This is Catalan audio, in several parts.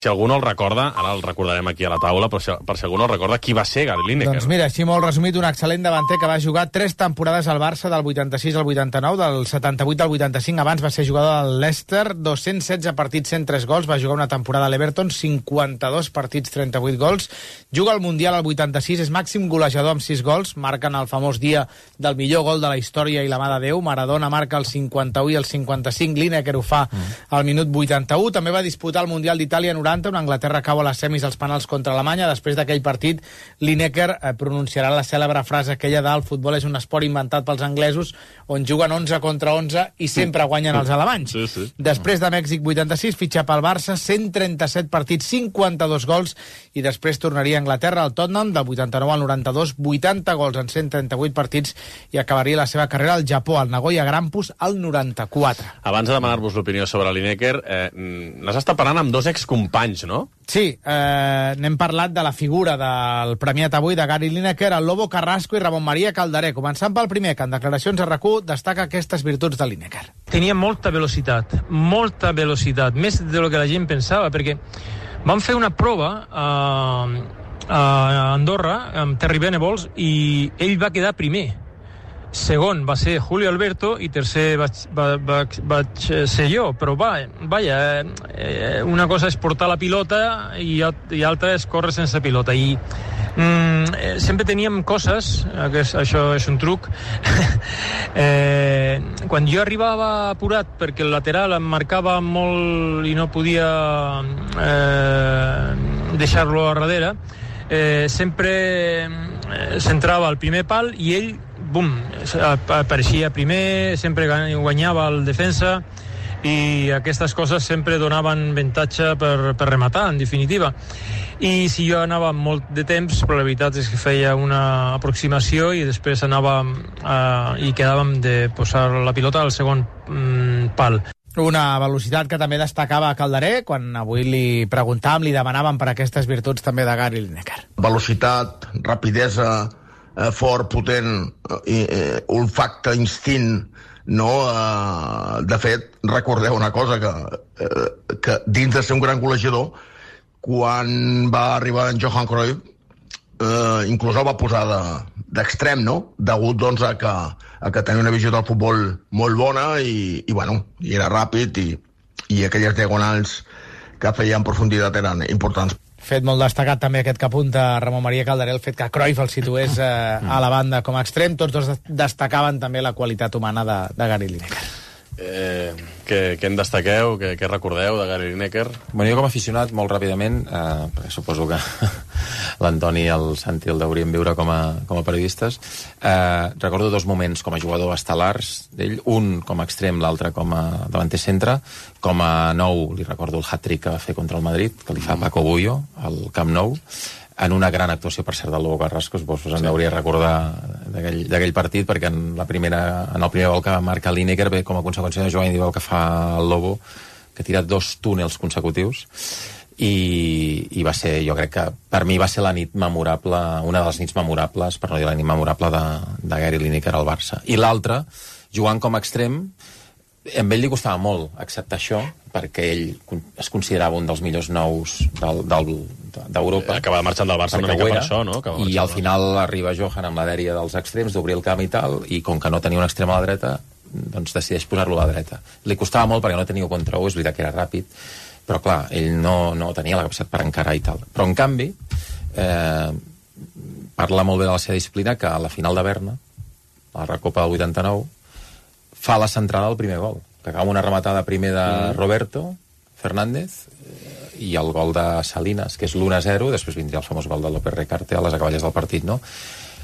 Si algú no el recorda, ara el recordarem aquí a la taula, però per si algú no el recorda, qui va ser Gary Lineker? Doncs mira, així molt resumit, un excel·lent davanter que va jugar 3 temporades al Barça, del 86 al 89, del 78 al 85. Abans va ser jugador del Leicester, 216 partits, 103 gols. Va jugar una temporada a l'Everton, 52 partits, 38 gols. Juga al Mundial al 86, és màxim golejador amb 6 gols. Marquen el famós dia del millor gol de la història i la mà de Déu. Maradona marca el 51 i el 55. Lineker ho fa al minut 81. També va disputar el Mundial d'Itàlia 90, on Anglaterra cau a les semis als penals contra Alemanya. Després d'aquell partit, Lineker pronunciarà la cèlebre frase aquella del futbol és un esport inventat pels anglesos, on juguen 11 contra 11 i sempre guanyen els alemanys. Sí. Després de Mèxic 86, fitxa pel Barça, 137 partits, 52 gols, i després tornaria a Anglaterra, al Tottenham, del 89 al 92, 80 gols en 138 partits, i acabaria la seva carrera al Japó, al Nagoya Grampus, al 94. Abans de demanar-vos l'opinió sobre Lineker, n'has estat parlant amb dos excompanys, no? Sí, n'hem parlat de la figura del premiat avui de Gary Lineker, el Lobo Carrasco i Ramon Maria Calderé. Començant pel primer, que en declaracions a RAC1 destaca aquestes virtuts de Lineker. Tenia molta velocitat, més de lo que la gent pensava, perquè vam fer una prova a Andorra amb Terry Venables i ell va quedar primer. Segon va ser Julio Alberto i tercer vaig ser jo, però vaja, una cosa és portar la pilota i altra és córrer sense pilota, i sempre teníem coses, això és un truc, quan jo arribava apurat perquè el lateral em marcava molt i no podia deixar-lo a darrere, sempre centrava el primer pal i ell apareixia primer, sempre guanyava el defensa, i aquestes coses sempre donaven avantatge per rematar, en definitiva. I si jo anava molt de temps, però la veritat és que feia una aproximació i després anàvem i quedàvem de posar la pilota al segon pal. Una velocitat que també destacava Calderé, quan avui li preguntàvem, li demanàvem per aquestes virtuts també de Gary Lineker. Velocitat, rapidesa, fort, potent, olfacte, instint, no? De fet, recordeu una cosa, que dins de ser un gran golejador, quan va arribar en Johan Cruyff, inclús el va posar d'extrem, no? Degut, doncs, a que tenia una visió del futbol molt bona i era ràpid, i aquelles diagonals que feia en profunditat eren importants. Fet molt destacat també aquest que apunta Ramon Maria Calderé, el fet que Cruyff el situés a la banda com a extrem. Tots dos destacaven també la qualitat humana de Gary Lineker. Què en destaqueu? Què recordeu de Gary Lineker? Bueno, jo com a aficionat, molt ràpidament, perquè suposo que l'Antoni i el Santi el deurien viure com a periodistes, recordo dos moments com a jugador estel·lars d'ell, un com a extrem, l'altre com a davanter centre. Com a nou, li recordo el hat-trick que va fer contra el Madrid, que li fa Paco Bullo al Camp Nou, en una gran actuació, per cert, del Lobo Carrasco. Vos en hauria de recordar d'aquell partit, perquè en el primer gol que marca Lineker ve com a conseqüència de jugar individual que fa el Lobo, que ha tirat 2 túnels consecutius, i va ser, jo crec que per mi va ser la nit memorable, una de les nits memorables, per no dir la nit memorable, de Gary Lineker al Barça. I l'altre, jugant com a extrem, amb ell li costava molt acceptar això, perquè ell es considerava un dels millors nous d'Europa. Acaba marxant del Barça una mica per això, no? I al final arriba Johan amb la dèria dels extrems, d'obrir el camp i tal, i com que no tenia un extrem a la dreta, doncs decideix posar-lo a la dreta. Li costava molt perquè no tenia contra-1, és veritat que era ràpid, però clar, ell no tenia la capacitat per encarar i tal. Però en canvi, parla molt bé de la seva disciplina, que a la final de Berna, a la Recopa del 89, fa la centrada al primer gol, que acaba una rematada primer de Roberto Fernández i el gol de Salinas, que és l'1-0, després vindria el famós gol de López Recarte a les acaballes del partit, no?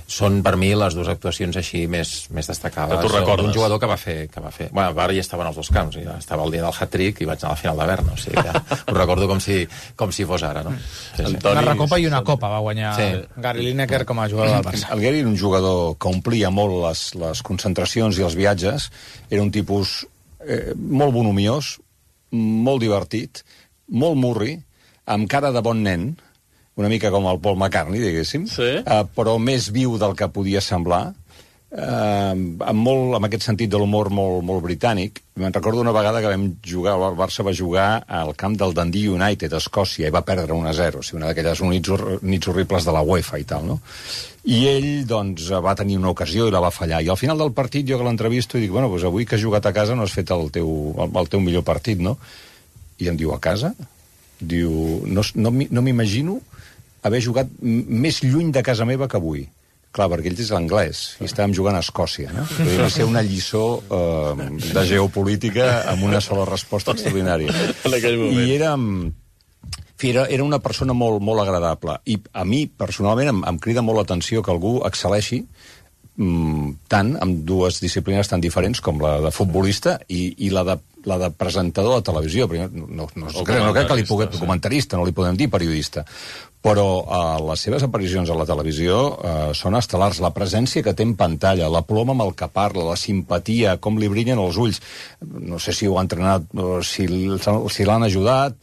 Són, per mi, les dues actuacions així més destacades d'un jugador que va fer... Bueno, ara ja estaven als dos camps, ja estava el dia del hat-trick i vaig anar a la final de Berna, o sigui que ho recordo com si fos ara, no? Sí. Una recopa i una copa va guanyar Gary Lineker com a jugador del Barça. El Gary era un jugador que omplia molt les concentracions i els viatges, era un tipus molt bonomiós, molt divertit, molt murri, amb cara de bon nen, una mica com el Paul McCartney, diguéssim, però més viu del que podia semblar, amb aquest sentit de l'humor molt britànic. Me'n recordo una vegada que vam jugar, el Barça va jugar al camp del Dundee United a Escòcia i va perdre 1-0, una d'aquelles nits horribles de la UEFA i tal, no? I ell, doncs, va tenir una ocasió i la va fallar. I al final del partit, jo que l'entrevisto, i dic, bueno, doncs avui que has jugat a casa no has fet el teu millor partit, no? I em diu, a casa? Diu, no m'imagino haver jugat més lluny de casa meva que avui. Clar, perquè ells és l'anglès, i estàvem jugant a Escòcia, no? Va ser una lliçó de geopolítica amb una sola resposta extraordinària. I era una persona molt agradable. I a mi, personalment, em crida molt l'atenció que algú excel·leixi tant amb dues disciplines tan diferents com la de futbolista i la de presentador de televisió. No crec que li pugui comentarista, no li podem dir periodista, però les seves aparicions a la televisió són estel·lars. La presència que té en pantalla, la ploma amb el que parla, la simpatia, com li brillen els ulls. No sé si ho ha entrenat, si l'han ajudat,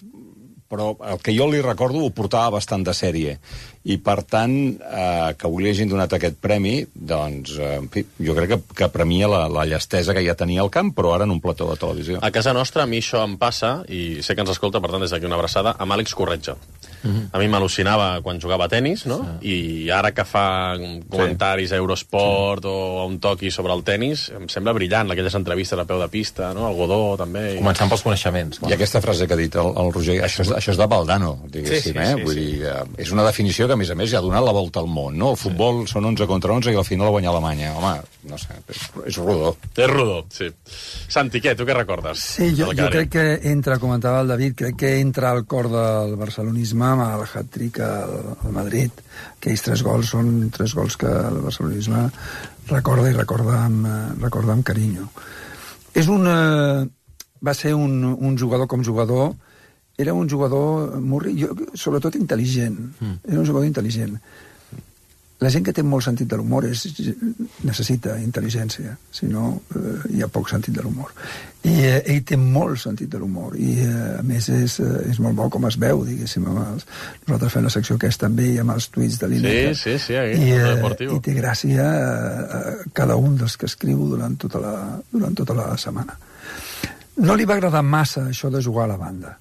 però el que jo li recordo ho portava bastant de sèrie. I, per tant, que avui li hagin donat aquest premi, doncs, en fi, jo crec que premia la llestesa que ja tenia al camp, però ara en un plató de televisió. A casa nostra, a mi això em passa, i sé que ens escolta, per tant, des d'aquí una abraçada, amb Àlex Corretja. A mi m'al·lucinava quan jugava a tenis, no? I ara que fa comentaris a Eurosport o a un toqui sobre el tenis, em sembla brillant, aquelles entrevistes a peu de pista, no? El Godó, també. Començant pels coneixements. I aquesta frase que ha dit el Roger, això és de Valdano, diguéssim, Vull dir, és una definició que, a més, ja ha donat la volta al món, no? El futbol són 11 contra 11 i al final guanya Alemanya. Home, no sé, és rodó. És rodó, sí. Santi, què? Tu què recordes? Sí, jo crec que entra, comentava el David, crec que entra al cor del barcelonisme amb el hat-trick al Madrid. Aquells 3 gols són 3 gols que el barcelonisme recorda i recorda amb carinyo. Va ser un jugador com jugador. Era un jugador sobretot intel·ligent. Era un jugador intel·ligent. La gent que té molt sentit de l'humor necessita intel·ligència, si no hi ha poc sentit de l'humor. I ell té molt sentit de l'humor i a més és molt bo com es veu, diguéssim. Nosaltres fem la secció aquesta amb ell, amb els tuits de l'Ineca. Sí, i té gràcia a cada un dels que escriu durant tota la setmana. No li va agradar massa això de jugar a la banda.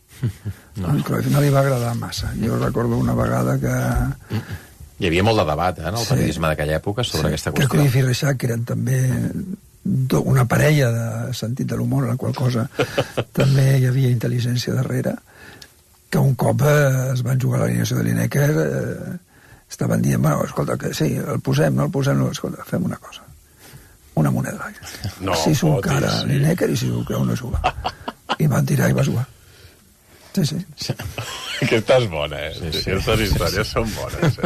No. Cruyff no li va agradar massa. Jo recordo una vegada que... Hi havia molt de debat en el periodisme d'aquella època sobre aquesta qüestió. Que Cruyff i Reixac eren també una parella de sentit de l'humor, en la qual cosa també hi havia intel·ligència darrere, que un cop es van jugar a l'alineació de Lineker estaven dient, bueno, escolta, que sí, el posem, no el posem, no, escolta, fem una cosa, una moneda. Si s'ho cara Lineker i si s'ho creu no juga. I van tirar i va jugar. Sí. Aquesta és bona, Aquestes històries són bones,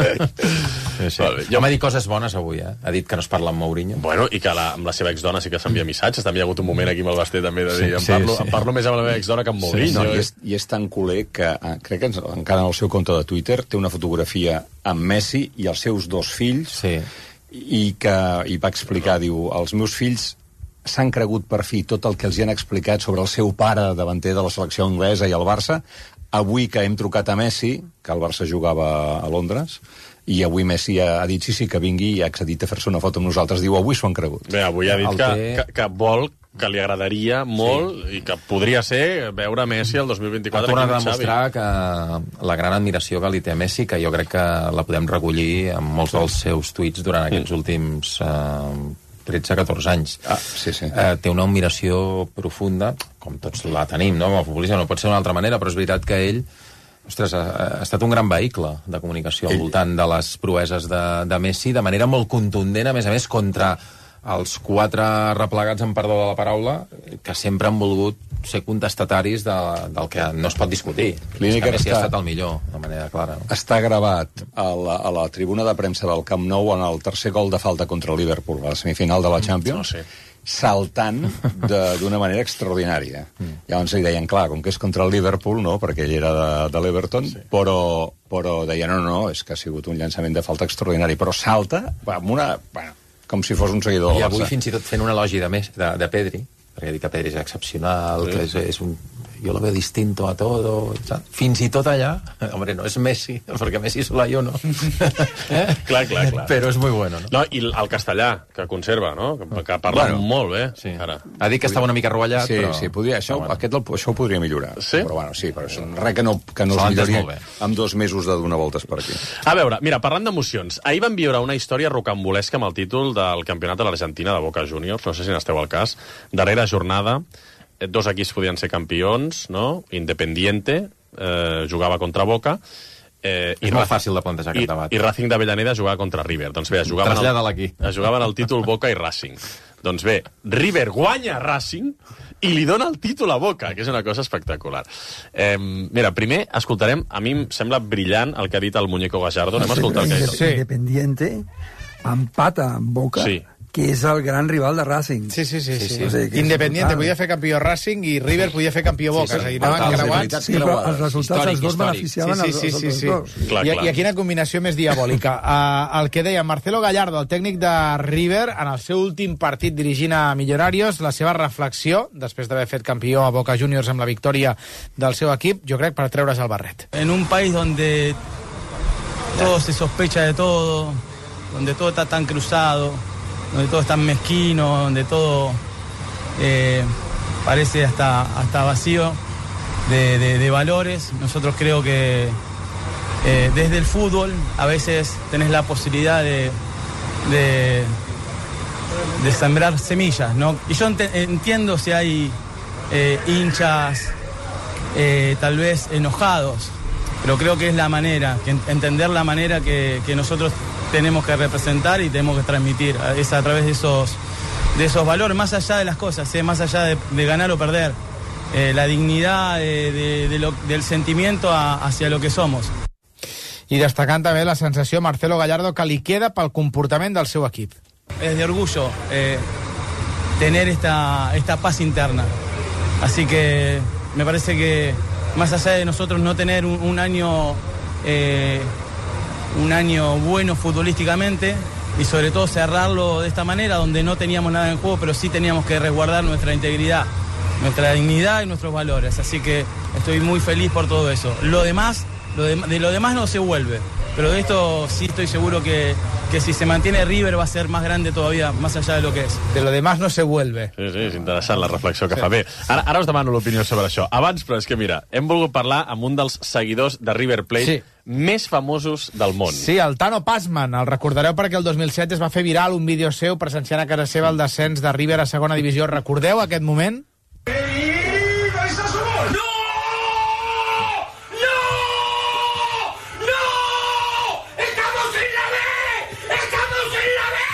Jo m'ha dit coses bones avui, Ha dit que no es parla amb Mourinho. Bueno, i que amb la seva exdona sí que s'envia missatges. També hi ha hagut un moment aquí amb el Basté també de dir, em parlo més amb la meva exdona que amb Mourinho. I és tan culer que crec que encara en el seu compte de Twitter té una fotografia amb Messi i els seus 2 fills i va explicar, diu, els meus fills s'han cregut per fi tot el que els hi han explicat sobre el seu pare davanter de la selecció anglesa i el Barça. Avui que hem trucat a Messi, que el Barça jugava a Londres, i avui Messi ha dit sí, que vingui i ha accedit a fer-se una foto amb nosaltres. Diu, avui s'ho han cregut. Bé, avui ha dit que vol, que li agradaria molt i que podria ser veure Messi el 2024. Ha tornat a demostrar que la gran admiració que li té a Messi, que jo crec que la podem recollir en molts dels seus tuits durant aquests últims 13-14 anys. Té una admiració profunda, com tots la tenim, no? Com a futbolista no pot ser d'una altra manera, però és veritat que ell ha estat un gran vehicle de comunicació al voltant de les proeses de Messi, de manera molt contundent, a més, contra els 4 replegats, en perdó de la paraula, que sempre han volgut ser contestataris del que no es pot discutir. Lineker Messi ha estat el millor, de manera clara. Està gravat a la tribuna de premsa del Camp Nou en el tercer gol de falta contra el Liverpool, a la semifinal de la Champions, saltant d'una manera extraordinària. Llavors li deien, clar, com que és contra el Liverpool, no?, perquè ell era de l'Everton, però deien, no, és que ha sigut un llançament de falta extraordinari, però salta amb una... com si fos un seguidor del Barça. I avui fins i tot fent un elogi de Pedri, perquè ha dit que Pedri és excepcional, que és yo lo veo distinto a todo. Fins i tot allà, hombre, no és Messi, perquè Messi sola jo no. Clar. Però és muy bueno, no? No, i el castellà, que conserva, no? Que parla molt bé, sí. Ara. Ha dit que estava una mica rovellat, sí, però... Sí, podria, això ho podria millorar. Sí? Però bueno, sí, però és res que no es milloria amb 2 mesos de donar voltes per aquí. A veure, mira, parlant d'emocions, ahir vam viure una història rocambolesca amb el títol del campionat de l'Argentina de Boca Juniors, no sé si n'esteu al cas, darrera jornada, 2 equips podien ser campions, no? Independiente jugava contra Boca, és molt fàcil de plantejar aquest debat. I Racing d'Avellaneda jugava contra River. Doncs bé, es jugaven el títol Boca i Racing. Doncs bé, River guanya Racing i li dona el títol a Boca, que és una cosa espectacular. Mira, primer escoltarem, a mi em sembla brillant el que ha dit el Muñeco Gallardo. Anem a escoltar el que ha dit. Independiente empata amb Boca, sí, que és el gran rival de Racing. Sí. O sigui, Independiente podia fer campió Racing i River podia fer campió Boca. És a dir, anaven creuats. Sí, però els resultats els dos beneficiaven els dos. I quina combinació més diabòlica. El que deia Marcelo Gallardo, el tècnic de River, en el seu últim partit dirigint a Millonarios, la seva reflexió, després d'haver fet campió a Boca Juniors amb la victòria del seu equip, jo crec per treure's el barret. En un país donde todo se sospecha de todo, donde todo está tan cruzado, donde todo es tan mezquino, donde todo parece hasta vacío de valores. Nosotros creo que desde el fútbol a veces tenés la posibilidad de sembrar semillas, ¿no? Y yo entiendo si hay hinchas tal vez enojados, pero creo que es la manera, entender la manera que nosotros tenemos que representar y tenemos que transmitir, es a través de esos valores, más allá de las cosas, más allá de ganar o perder, la dignidad del sentimiento hacia lo que somos. I destacant també la sensació Marcelo Gallardo que li queda pel comportament del seu equip. Es de orgullo tener esta paz interna, así que me parece que más allá de nosotros no tener un año bueno futbolísticamente y sobre todo cerrarlo de esta manera donde no teníamos nada en juego, pero sí teníamos que resguardar nuestra integridad, nuestra dignidad y nuestros valores, así que estoy muy feliz por todo eso. De lo demás no se vuelve, pero de esto sí estoy seguro que si se mantiene River va a ser más grande todavía, más allá de lo que és. De lo demás no se vuelve. Sí, és interessant la reflexió que fa. Bé, ara us demano l'opinió sobre això. Abans, però és que mira, hem volgut parlar amb un dels seguidors de River Plate més famosos del món. Sí, el Tano Passman. El recordareu perquè el 2007 es va fer viral un vídeo seu presenciant a casa seva el descens de River a segona divisió. Recordeu aquest moment?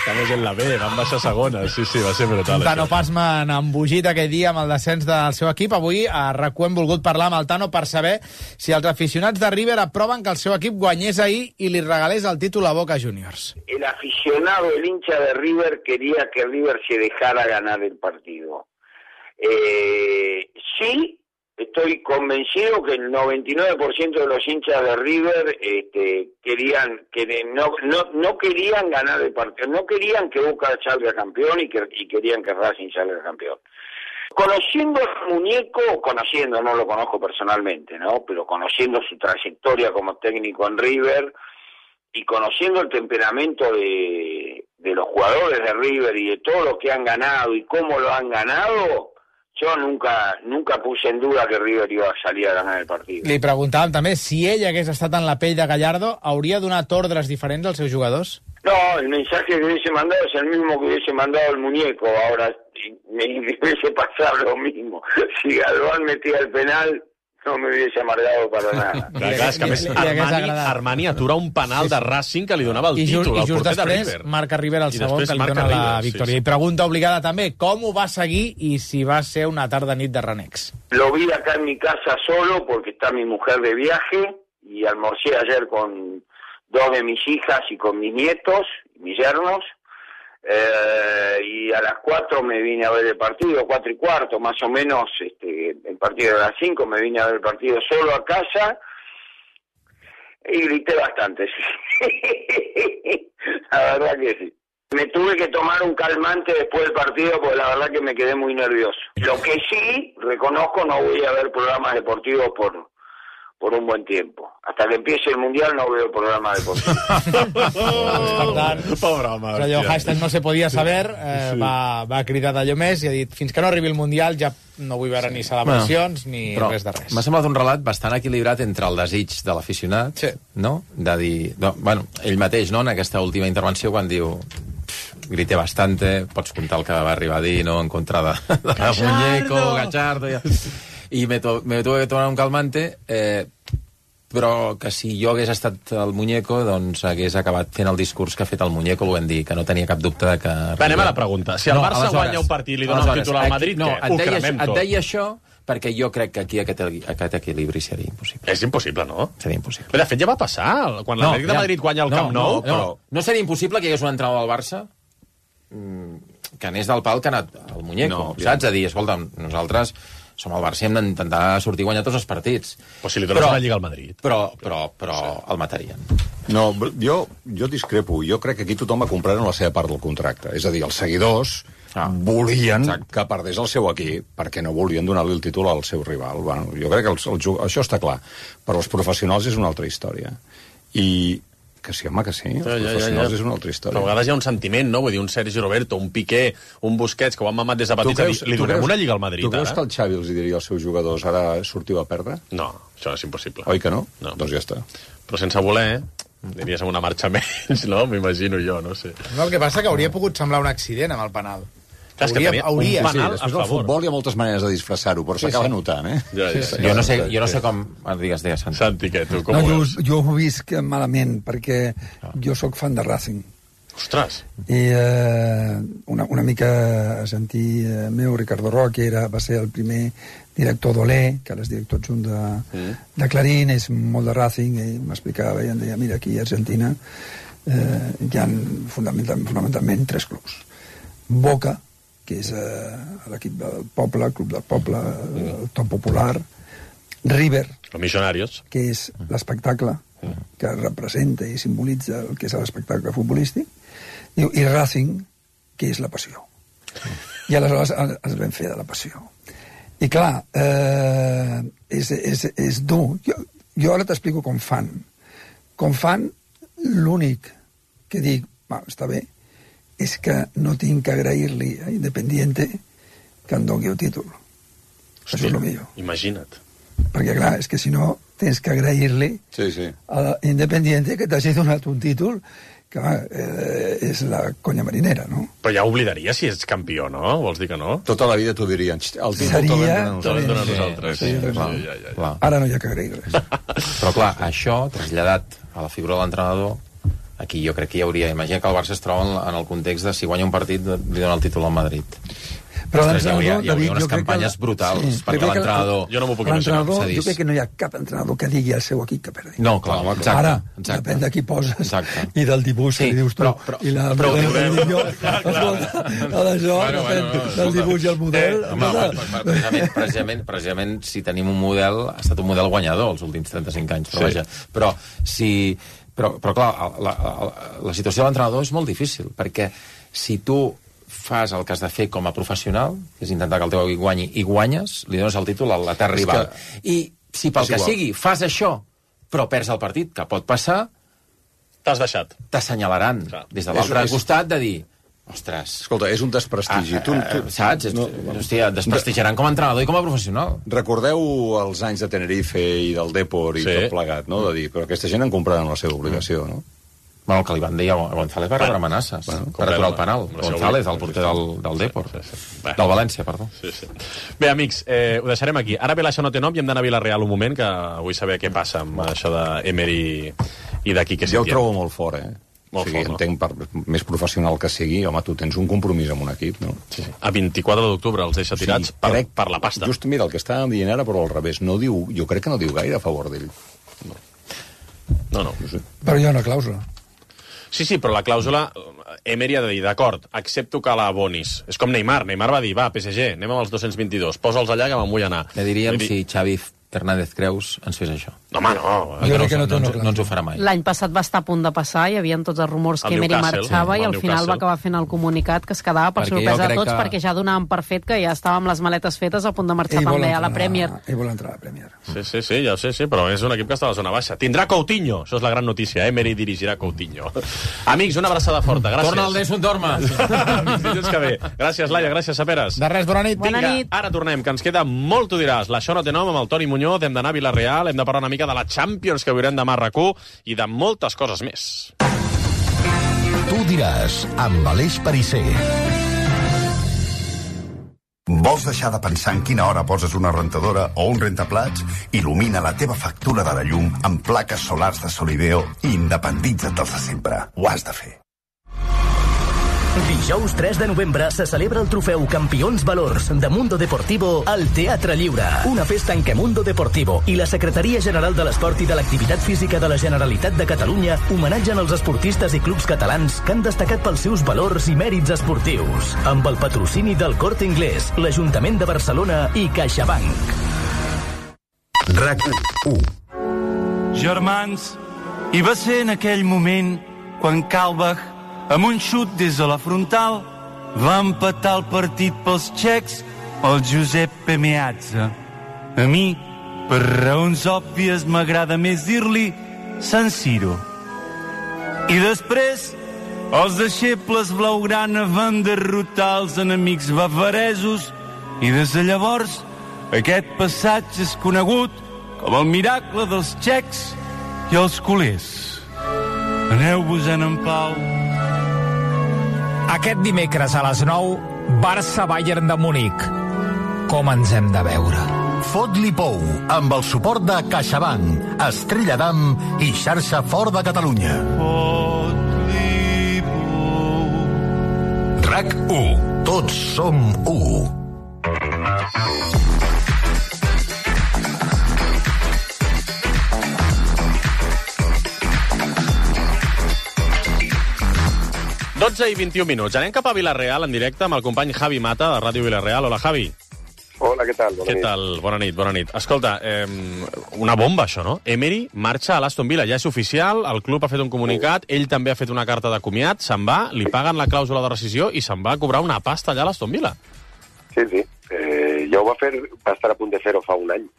Estamos en la B, van baixar segona. Sí, va ser brutal. Tano Passman embogit aquell dia amb el descens del seu equip. Avui a RAC1 hem volgut parlar amb el Tano per saber si els aficionats de River aproven que el seu equip guanyés ahir i li regalés el títol a Boca Juniors. El aficionado, el hincha de River quería que River se dejara ganar el partido. Sí, estoy convencido que el 99% de los hinchas de River no querían ganar el partido, no querían que Boca salga campeón y querían que Racing salga campeón. Conociendo al muñeco, no lo conozco personalmente, ¿no? Pero conociendo su trayectoria como técnico en River y conociendo el temperamento de los jugadores de River y de todo lo que han ganado y cómo lo han ganado, jo nunca puse en duda que River iba a salir a ganar el partido. Li preguntàvem també si ell hagués estat en la pell de Gallardo, hauria donat ordres diferents als seus jugadors? No, el mensaje que hubiese mandado es el mismo que hubiese mandado el muñeco. Ahora me hubiese pasado lo mismo. Si Galván metía el penal, no me hubiese amargado para nada. Clar, és que a més Armani atura un penal de Racing que li donava el títol al porter de River. Marca River el segon que li dona la victòria. I pregunta obligada també, com ho va seguir i si va ser una tarda-nit de renecs? Lo vi acá en mi casa solo porque está mi mujer de viaje y almorcé ayer con 2 de mis hijas y con mis nietos, mis yernos. Y a las 4 me vine a ver el partido, 4:15 más o menos, el partido de las 5, me vine a ver el partido solo a casa y grité bastante, sí. La verdad que sí. Me tuve que tomar un calmante después del partido porque la verdad que me quedé muy nervioso. Lo que sí, reconozco, no voy a ver programas deportivos por un buen tiempo. Hasta que empiece el Mundial no veo programas deportivos. Pobre home. Però allò, hashtag no se podia saber, va cridar d'allò més i ha dit, fins que no arribi el Mundial ja no vull veure ni celebracions ni res de res. M'ha semblat un relat bastant equilibrat entre el desig de l'aficionat, no? De dir... bueno, ell mateix, no?, en aquesta última intervenció, quan diu... grité bastante, pots contar el que va arribar a dir, no?, en contra de Muñeco, Gallardo... I me tuve que tomar un calmante, però que si jo hagués estat el Muñeco, doncs hagués acabat fent el discurs que ha fet el Muñeco, el vam dir, que no tenia cap dubte de que... Va, anem a la pregunta. Si el Barça guanya un partit i li dona un títol al Madrid, què? Ho cremem tot. Et deia això perquè jo crec que aquí aquest equilibri seria impossible. És impossible, no? Seria impossible. De fet, ja va passar. Quan l'Atlètic de Madrid guanya el Camp Nou... No seria impossible que hi hagués un entrenador del Barça que anés del pal que ha anat el Muñeco, saps? A dir, escolta, nosaltres... som el Barça i hem d'intentar sortir i guanyar tots els partits. O si li dones una lliga al Madrid. Però el matarien. No, jo discrepo. Jo crec que aquí tothom ha comprat en la seva part del contracte. És a dir, els seguidors volien que perdés el seu equip perquè no volien donar-li el títol al seu rival. Bueno, jo crec que això està clar. Però els professionals és una altra història. I... Que sí, home, que sí. Els professionals és una altra història. Però a vegades hi ha un sentiment, no? Vull dir, un Sergi Roberto, un Piqué, un Busquets, que ho han mamat des de petits, li donem una lliga al Madrid, ara? Tu creus que el Xavi els diria als seus jugadors ara sortiu a perdre? No, això és impossible. Oi que no? Doncs ja està. Però sense voler, diries una marxa menys, no? M'imagino jo, no sé. No, el que passa que hauria pogut semblar un accident amb el penal. Clar, és que tenia un penal a favor. Al futbol hi ha moltes maneres de disfressar-ho, però s'acaba notant, eh? Jo no sé com... Digues, Santi. Santi, què? Tu com ho veus? Jo ho visc malament, perquè jo sóc fan de Racing. Ostres! I una mica a sentir meu, Ricardo Roque, va ser el primer director d'Olé, que ara és director adjunt de Clarín, és molt de Racing, i m'explicava i em deia, mira, aquí a Argentina hi ha fonamentalment 3 clubs. Boca, que és l'equip del poble, el club del poble, el top popular. River, Los Millonarios, que és l'espectacle que representa i simbolitza el que és l'espectacle futbolístic, i Racing, que és la passió. I aleshores es vam fer de la passió. I clar, és dur. Jo ara t'explico com fan. Com fan, l'únic que dic, està bé, és que no tinc que agrair-li a Independiente que em doni el títol. Hòstia, això és el millor. Imagina't. Perquè, clar, és que si no tens que agrair-li a Independiente que t'hagi donat un títol que és la conya marinera, no? Però ja oblidaria si ets campió, no? Vols dir que no? Tota la vida t'ho dirien. El títol seria... Te'l donen nosaltres. Clar. Ara no hi ha que agrair res. Però, clar, això, traslladat a la figura de l'entrenador, aquí jo crec que hi hauria... Imagina que el Barça es troba en el context de si guanya un partit li dona el títol al Madrid. Però hi hauria unes campanyes brutals perquè l'entrenador... Jo no m'ho puc imaginar. Jo crec que no hi ha cap entrenador que digui al seu equip que perdi. No, clar, exacte. Ara, depèn de qui poses i del dibuix que li dius tu. I la del dibuix i el model... Precisament, si tenim un model, ha estat un model guanyador els últims 35 anys. Però vaja, però si... Però clar, la situació de l'entrenador és molt difícil, perquè si tu fas el que has de fer com a professional, que és intentar que el teu equip guanyi, i guanyes, li dones el títol a la terra rival. I si pel que sigui fas això, però perds el partit, que pot passar... T'has deixat. T'assenyalaran des de l'altre costat de dir... Ostres... Escolta, és un desprestigi. Saps? Hòstia, et desprestigiaran com a entrenador i com a professional. Recordeu els anys de Tenerife i del Depor i tot plegat, no? De dir, però aquesta gent en compraran la seva obligació, no? Bueno, el que li van dir a González va rebre amenaces per aturar el penal. González, el porter del Depor. Del València, perdó. Bé, amics, ho deixarem aquí. Ara ve això no té nom i hem d'anar a Vilareal un moment, que vull saber què passa amb això d'Emery i d'aquí que jo ho trobo molt fort, o sigui, entenc, per més professional que sigui, home, tu tens un compromís amb un equip, no? A 24 d'octubre els deixa tirats per la pasta. Just, mira, el que estàvem dient ara, però al revés. Jo crec que no diu gaire a favor d'ell. No. Però hi ha una clàusula. Sí, però la clàusula... Emery ha de dir, d'acord, accepto que l'abonis. És com Neymar. Neymar va dir, va, PSG, anem amb els 222, posa'ls allà que me'n vull anar. Ne diríem si Xavi Hernández Creus ens fes això. No, home, no. Jo crec que no té una no ens ho farà mai. L'any passat va estar a punt de passar, hi havia tots els rumors que Emery marxava i al final va acabar fent el comunicat que es quedava per sorpresa de tots perquè ja donàvem per fet que ja estàvem les maletes fetes a punt de marxar també a la Premier. Ell vol entrar a la Premier. Sí, ja ho sé, però és un equip que està a la zona baixa. Tindrà Coutinho, això és la gran notícia, Emery dirigirà Coutinho. Amics, una abraçada forta, gràcies. Torna al Desmond Dorma. Dilluns que ve. Gràcies, Laia, gràcies, Saperes. De res, bona nit. Vinga, ara tornem, que ens queda molt, tu diràs. L'Això no té nom amb el Toni Muñoz, hem d'anar a Vilareal, hem de parlar una mica de la Champions que veurem demà a RAC1 i de moltes coses més. Tu diràs, amb Aleix Perisser. Vols deixar de pensar en quina hora poses una rentadora o un rentaplats? Il·lumina la teva factura de la llum amb plaques solars de Solideo i independitza't dels de sempre. Ho has de fer. Dijous 3 de novembre se celebra el trofeu Campions Valors de Mundo Deportivo al Teatre Lliure. Una festa en què Mundo Deportivo i la Secretaria General de l'Esport i de l'Activitat Física de la Generalitat de Catalunya homenatgen els esportistes i clubs catalans que han destacat pels seus valors i mèrits esportius. Amb el patrocini del Corte Inglés, l'Ajuntament de Barcelona i CaixaBank. RAC1. Germans, i va ser en aquell moment quan Kalbach, amb un xut des de la frontal, va empatar el partit pels txecs el Giuseppe Meazza. A mi, per raons òbvies, m'agrada més dir-li San Siro. I després, els deixebles blaugrana van derrotar els enemics bavaresos i des de llavors aquest passatge és conegut com el miracle dels txecs i els culers. Aneu-vos-en en pau. Aquest dimecres a les 9, Barça-Bayern de Munic. Com ens hem de veure. Fot-li pou, amb el suport de CaixaBank, Estrella d'Am i Xarxa Fort de Catalunya. Fot-li pou. RAC1. Tots som 1. Dotze i 21 minuts. Anem cap a Vilareal en directe amb el company Javi Mata, de Ràdio Vilareal. Hola, Javi. Hola, què tal? Què tal? Bona nit. Escolta, una bomba, això, no? Emery marxa a l'Aston Villa. Ja és oficial, el club ha fet un comunicat, ell també ha fet una carta de comiat, se'n va, li paguen la clàusula de rescisió i se'n va a cobrar una pasta allà a l'Aston Villa. Sí. Ja ho va estar a punt de fer-ho fa un any.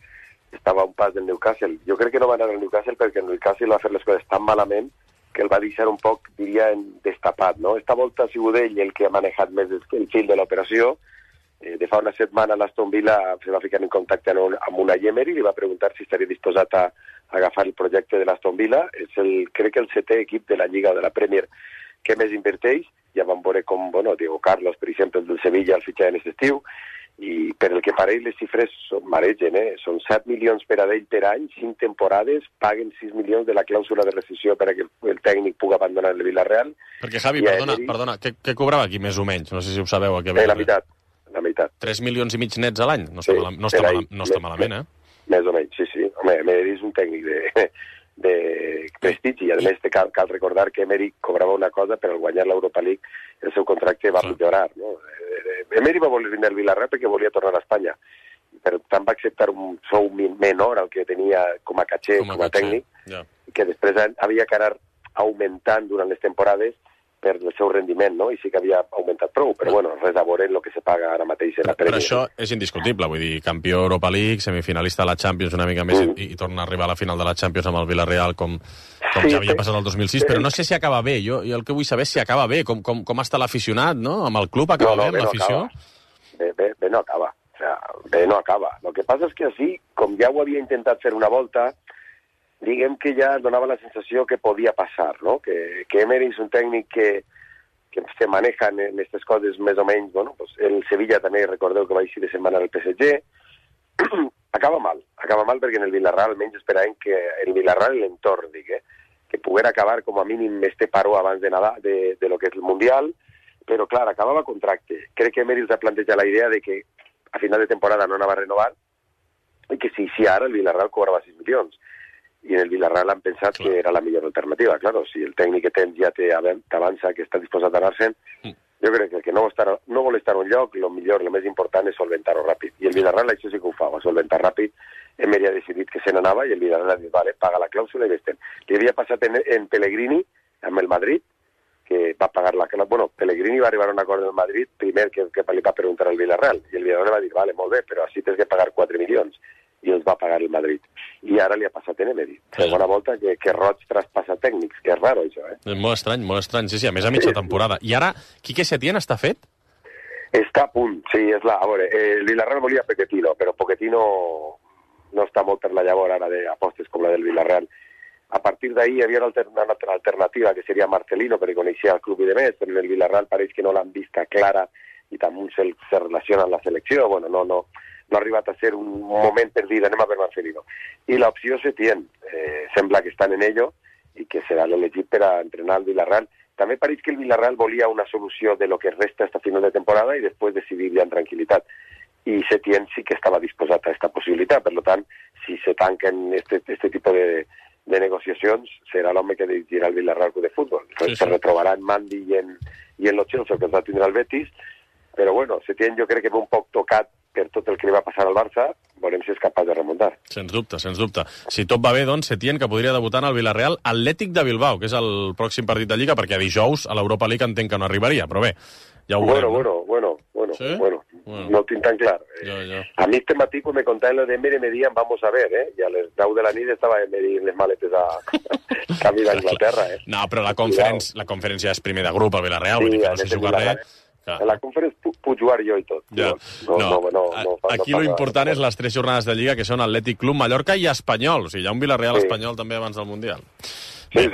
Estava a un pas del Newcastle. Jo crec que no va anar al Newcastle perquè el Newcastle va fer les coses tan malament que el va deixar un poc, diria, destapat, no? Esta volta ha sigut ell el que ha manejat més el fil de l'operació. De fa una setmana l'Aston Villa se va ficar en contacte amb una Emery i li va preguntar si estaria disposat a agafar el projecte de l'Aston Villa. És crec que el 7è equip de la Lliga o de la Premier que més inverteix. Ja vam veure com, Diego Carlos, per exemple, del Sevilla, el fitxar en aquest estiu, i per el que pareix les xifres maregen, Són 7 milions per a ell per any, 5 temporades, paguen 6 milions de la clàusula de rescisió per a que el tècnic pugui abandonar el Villarreal. Perquè, Javi, perdona, què cobrava aquí més o menys? No sé si ho sabeu. La meitat. 3 milions i mig nets a l'any? No està malament, Més o menys, sí. Home, Emery és un tècnic de prestigi, i a més cal recordar que Emery cobrava una cosa, però al guanyar l'Europa League el seu contracte va millorar, no? Emery va voler venir al Villarreal perquè volia tornar a Espanya, per tant va acceptar un sou menor al que tenia com a caché, com a tècnic, que després havia que anar augmentant durant les temporades per el seu rendiment, no? I sí que havia augmentat prou, però res a veure en el que se paga ara mateix en la Premier. Però això és indiscutible, vull dir, campió Europa League, semifinalista de la Champions una mica més i torna a arribar a la final de la Champions amb el Villarreal com ja havia passat el 2006, però no sé si acaba bé. Jo el que vull saber és si acaba bé, com està l'aficionat, no? Amb el club acaba bé, amb l'afició? Bé no acaba. O sea, bé no acaba. El que passa és que així, com ja ho havia intentat fer una volta, diguem que ja donava la sensació que podia passar, no? Que Emery és un tècnic que se maneja en aquestes coses més o menys, el Sevilla també, recordeu que va així de setmana al PSG, acaba mal perquè en el Villarreal almenys esperàvem que el Villarreal i l'entorn, que poguera acabar com a mínim este paró abans de Nadal, de lo que és el Mundial, però clar, acabava contracte. Crec que Emery s'ha plantejat la idea de que a final de temporada no anava a renovar i que si ara el Villarreal cobrava 6 milions. I en el Villarreal han pensat que era la millor alternativa. Claro, si el tècnic que tens ja t'avança que està disposat a anar-se'n, Jo crec que el que no vol estar en un lloc, el millor, el més important és solventar-ho ràpid. I el Villarreal això sí que ho fa, va solventar ràpid. Emery ha decidit que se n'anava i el Villarreal ha dit, vale, paga la clàusula i vés-te'n. Li havia passat en Pellegrini, amb el Madrid, que va pagar la clàusula. Bueno, Pellegrini va arribar a un acord amb el Madrid primer que li va preguntar al Villarreal. I el Villarreal va dir, vale, molt bé, però així tens que pagar 4 milions. I els va pagar el Madrid. I ara li ha passat en Emery. Segona volta que Roig traspassa tècnics, que és raro, això, eh? És molt estrany, sí, a més a mitja temporada. I ara, Quique Setién està fet? Està a punt, sí, és la... A veure, el Villarreal volia Pochettino, però Pochettino no està molt per la llavor ara d'apostes com la del Villarreal. A partir d'ahir hi havia una altra alternativa, que seria Marcelino, perquè coneixia el club i demés, però el Villarreal pareix que no l'han vista clara i també se relaciona amb la selecció. Bueno, no ha arribat a ser un moment per dir anem a per Marcelino. I l'opció Setién, sembla que estan en ello i que serà l'elegit per a entrenar el Villarreal. També pareix que el Villarreal volia una solució de lo que resta hasta final de temporada i després decidir ja en tranquil·litat. I Setién sí que estava disposat a aquesta possibilitat. Per tant, si se tanquen este tipus de negociacions, serà l'home que dirigirà el Villarreal de futbol. Sí. Se retrobarà en Mandy i en Lo Celso, que els va tindre el Betis, però bueno, Setién jo crec que ve un poc tocat per tot el que li va passar al Barça, veurem si és capaç de remuntar. Sens dubte. Si tot va bé, doncs, Setién, que podria debutar en el Villarreal Atlètic de Bilbao, que és el pròxim partit de Lliga, perquè dijous a l'Europa League entenc que no arribaria, però bé, ja ho veurem. Bueno, ¿Sí? No ho tinc tan clar. Jo. A mi este matí, quan me contaven lo de Emery, me diuen, vamos a ver, i a les 10 de la nit estava Emery en les maletes a camí d'Anglaterra, No, però la conferència és primer de grup al Villarreal, vull dir que no sé jugar res. En la conferència puc jugar jo i tot. Ja. Aquí lo important és les 3 jornades de Lliga, que són Atlètic Club, Mallorca i Espanyol. O sigui, hi ha un Villarreal espanyol també abans del Mundial. Sí.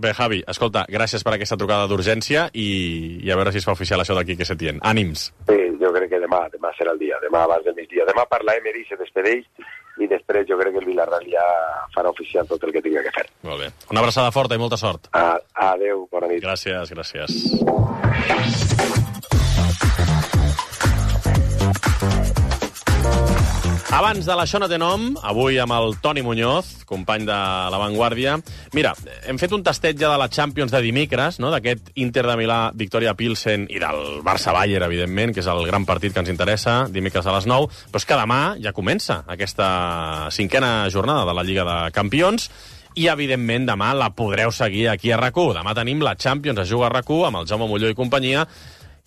Bé, Javi, escolta, gràcies per aquesta trucada d'urgència i a veure si es fa oficial això d'aquí que Setién. Ànims. Sí, jo crec que demà serà el dia, demà abans del migdia. Demà parla Emery, se despedeix i després jo crec que el Villarreal ja farà oficial tot el que tingui que fer. Molt bé. Una abraçada forta i molta sort. Adéu, bona nit. Gràcies. Abans de l'Això no té nom, avui amb el Toni Muñoz, company de La Vanguardia. Mira, hem fet un tastet ja de la Champions de dimecres, no? D'aquest Inter de Milà, Victoria Pilsen i del Barça-Bayern, evidentment, que és el gran partit que ens interessa, dimecres a les 9. Però és que demà ja comença aquesta 5a jornada de la Lliga de Campions i, evidentment, demà la podreu seguir aquí a RAC1. Demà tenim la Champions a jugar a RAC1 amb el Jaume Molló i companyia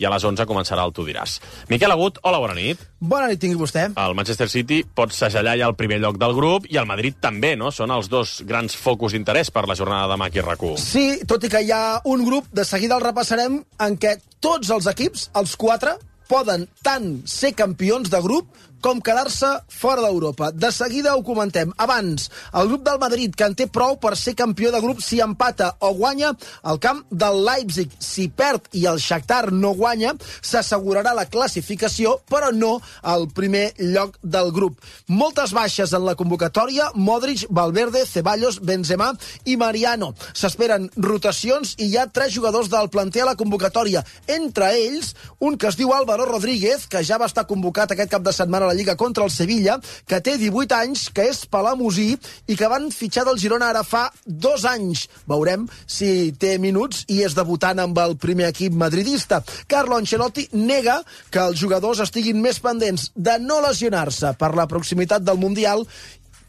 i a les 11 començarà el Tu diràs. Miquel Agut, hola, bona nit. Bona nit, tingui vostè. El Manchester City pot segellar ja el primer lloc del grup i el Madrid també, no? Són els dos grans focus d'interès per la jornada de demà aquí a RAC1. Sí, tot i que hi ha un grup, de seguida el repassarem, en què tots els equips, els 4, poden tant ser campions de grup com quedar-se fora d'Europa. De seguida ho comentem. Abans, el grup del Madrid, que en té prou per ser campió de grup si empata o guanya al camp del Leipzig. Si perd i el Shakhtar no guanya, s'assegurarà la classificació, però no el primer lloc del grup. Moltes baixes en la convocatòria: Modric, Valverde, Ceballos, Benzema i Mariano. S'esperen rotacions i hi ha 3 jugadors del planter a la convocatòria. Entre ells, un que es diu Álvaro Rodríguez, que ja va estar convocat aquest cap de setmana a la Lliga contra el Sevilla, que té 18 anys, que és palamosí i que van fitxar del Girona ara fa 2 anys. Veurem si té minuts i és debutant amb el primer equip madridista. Carlo Ancelotti nega que els jugadors estiguin més pendents de no lesionar-se per la proximitat del Mundial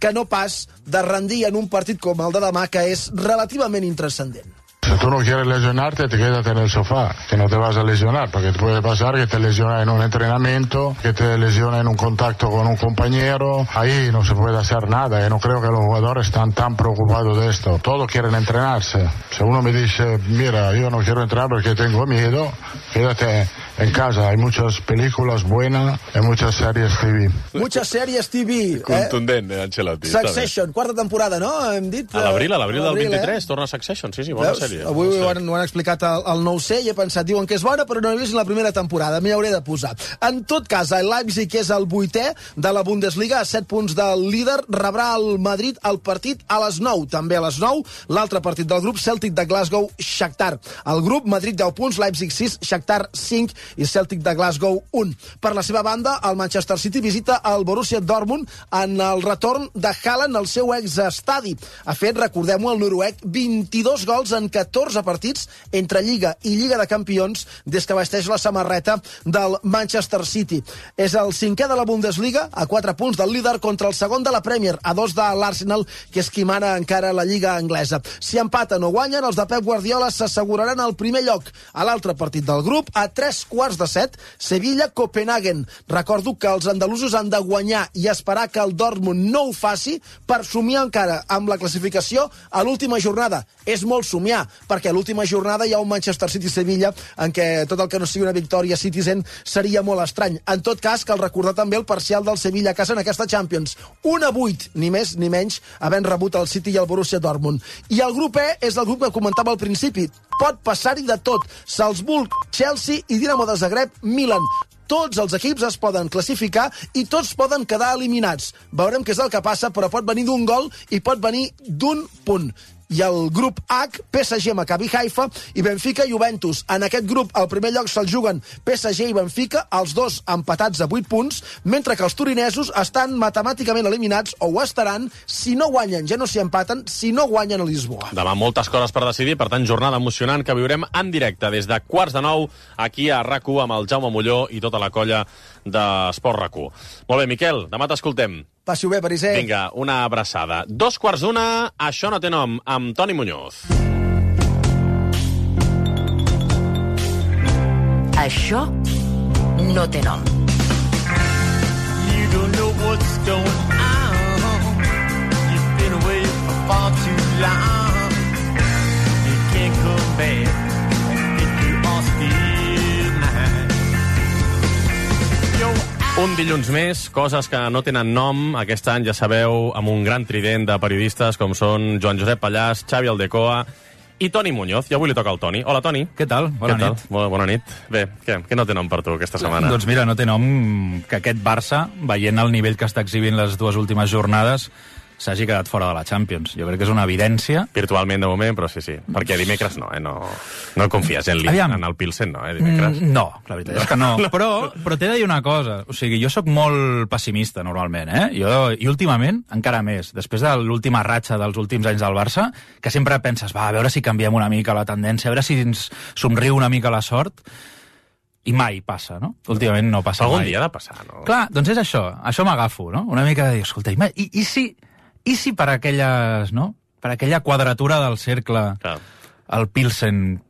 que no pas de rendir en un partit com el de demà, que és relativament intranscendent. Si tú no quieres lesionarte, te quedas en el sofá, que no te vas a lesionar, porque te puede pasar que te lesionas en un entrenamiento, que te lesionas en un contacto con un compañero, ahí no se puede hacer nada, no creo que los jugadores están tan preocupados de esto. Todos quieren entrenarse. Si uno me dice, mira, yo no quiero entrenar porque tengo miedo, quédate en casa. Hay muchas películas buenas, hay muchas series TV. Muchas series TV. Contundent, Ancelotti. Succession, quarta temporada, no? Hem dit... A l'abril del 23, torna Succession, sí, bona sèrie. Avui ho han explicat al 9C i he pensat, diuen que és bona, però no he vist la primera temporada, m'hi hauré de posar. En tot cas, el Leipzig, que és el 8è de la Bundesliga, a 7 punts del líder, rebrà el Madrid el partit a les 9. També a les 9, l'altre partit del grup, Celtic de Glasgow, Shakhtar. El grup, Madrid 10 punts, Leipzig 6, Shakhtar 5 i Celtic de Glasgow 1. Per la seva banda, el Manchester City visita el Borussia Dortmund en el retorn de Haaland al seu exestadi. Ha fet, recordem-ho, el noruec 22 gols en 14 partits entre Lliga i Lliga de Campions des que vesteix la samarreta del Manchester City. És el 5è de la Bundesliga, a 4 punts del líder contra el segon de la Premier, a 2 de l'Arsenal, que és qui mana encara la Lliga anglesa. Si empaten o guanyen, els de Pep Guardiola s'asseguraran el primer lloc. A l'altre partit del grup, a 6:45, Sevilla-Copenhagen. Recordo que els andalusos han de guanyar i esperar que el Dortmund no ho faci per somiar encara amb la classificació a l'última jornada. És molt somiar, perquè a l'última jornada hi ha un Manchester City-Sevilla en què tot el que no sigui una victòria Citizen seria molt estrany. En tot cas, cal recordar també el parcial del Sevilla a casa en aquesta Champions. 1-8, ni més ni menys, havent rebut el City i el Borussia Dortmund. I el grup E és el grup que comentava al principi. Pot passar-hi de tot. Salzburg, Chelsea i Dinamo de Zagreb, Milan. Tots els equips es poden classificar i tots poden quedar eliminats. Veurem què és el que passa, però pot venir d'un gol i pot venir d'un punt. I el grup H, PSG, Maccabi Haifa i Benfica i Juventus. En aquest grup, al primer lloc se'l juguen PSG i Benfica, els dos empatats a 8 punts, mentre que els turinesos estan matemàticament eliminats, o ho estaran, si no guanyen, ja no s'hi empaten, si no guanyen a Lisboa. Demà moltes coses per decidir, per tant, jornada emocionant que viurem en directe des de 8:45 aquí a RAC1 amb el Jaume Molló i tota la colla d'Esport RAC1. Molt bé, Miquel, demà t'escoltem. Passi-ho bé, Pariser. Vinga, una abraçada. 2:15, Això no té nom, amb Toni Muñoz. Això no té nom. You don't know what's going on. You've been away for far too long. You can't come back if you are still mine. Un dilluns més, coses que no tenen nom. Aquest any, ja sabeu, amb un gran trident de periodistes com són Joan Josep Pallàs, Xavi Aldecoa i Toni Muñoz. I avui li toca al Toni. Hola, Toni. Què tal? Bona nit. Bona nit. Bé, què no té nom per tu aquesta setmana? Doncs mira, no té nom que aquest Barça, veient el nivell que està exhibint les dues últimes jornades, s'hagi quedat fora de la Champions. Jo crec que és una evidència. Virtualment, de moment, però sí. Perquè dimecres no, no confies en el Pilsen, no, dimecres? No, la veritat és que no. Però t'he de dir una cosa. O sigui, jo sóc molt pessimista, normalment, I últimament, encara més, després de l'última ratxa dels últims anys del Barça, que sempre penses, a veure si canviem una mica la tendència, a veure si ens somriu una mica la sort, i mai passa, no? Últimament no passa mai. Algun dia ha de passar, no? Clar, doncs és això m'agafo, no? Una mica de dir, escolta, i si per aquelles, no? Per aquella quadratura del cercle, el Pilsen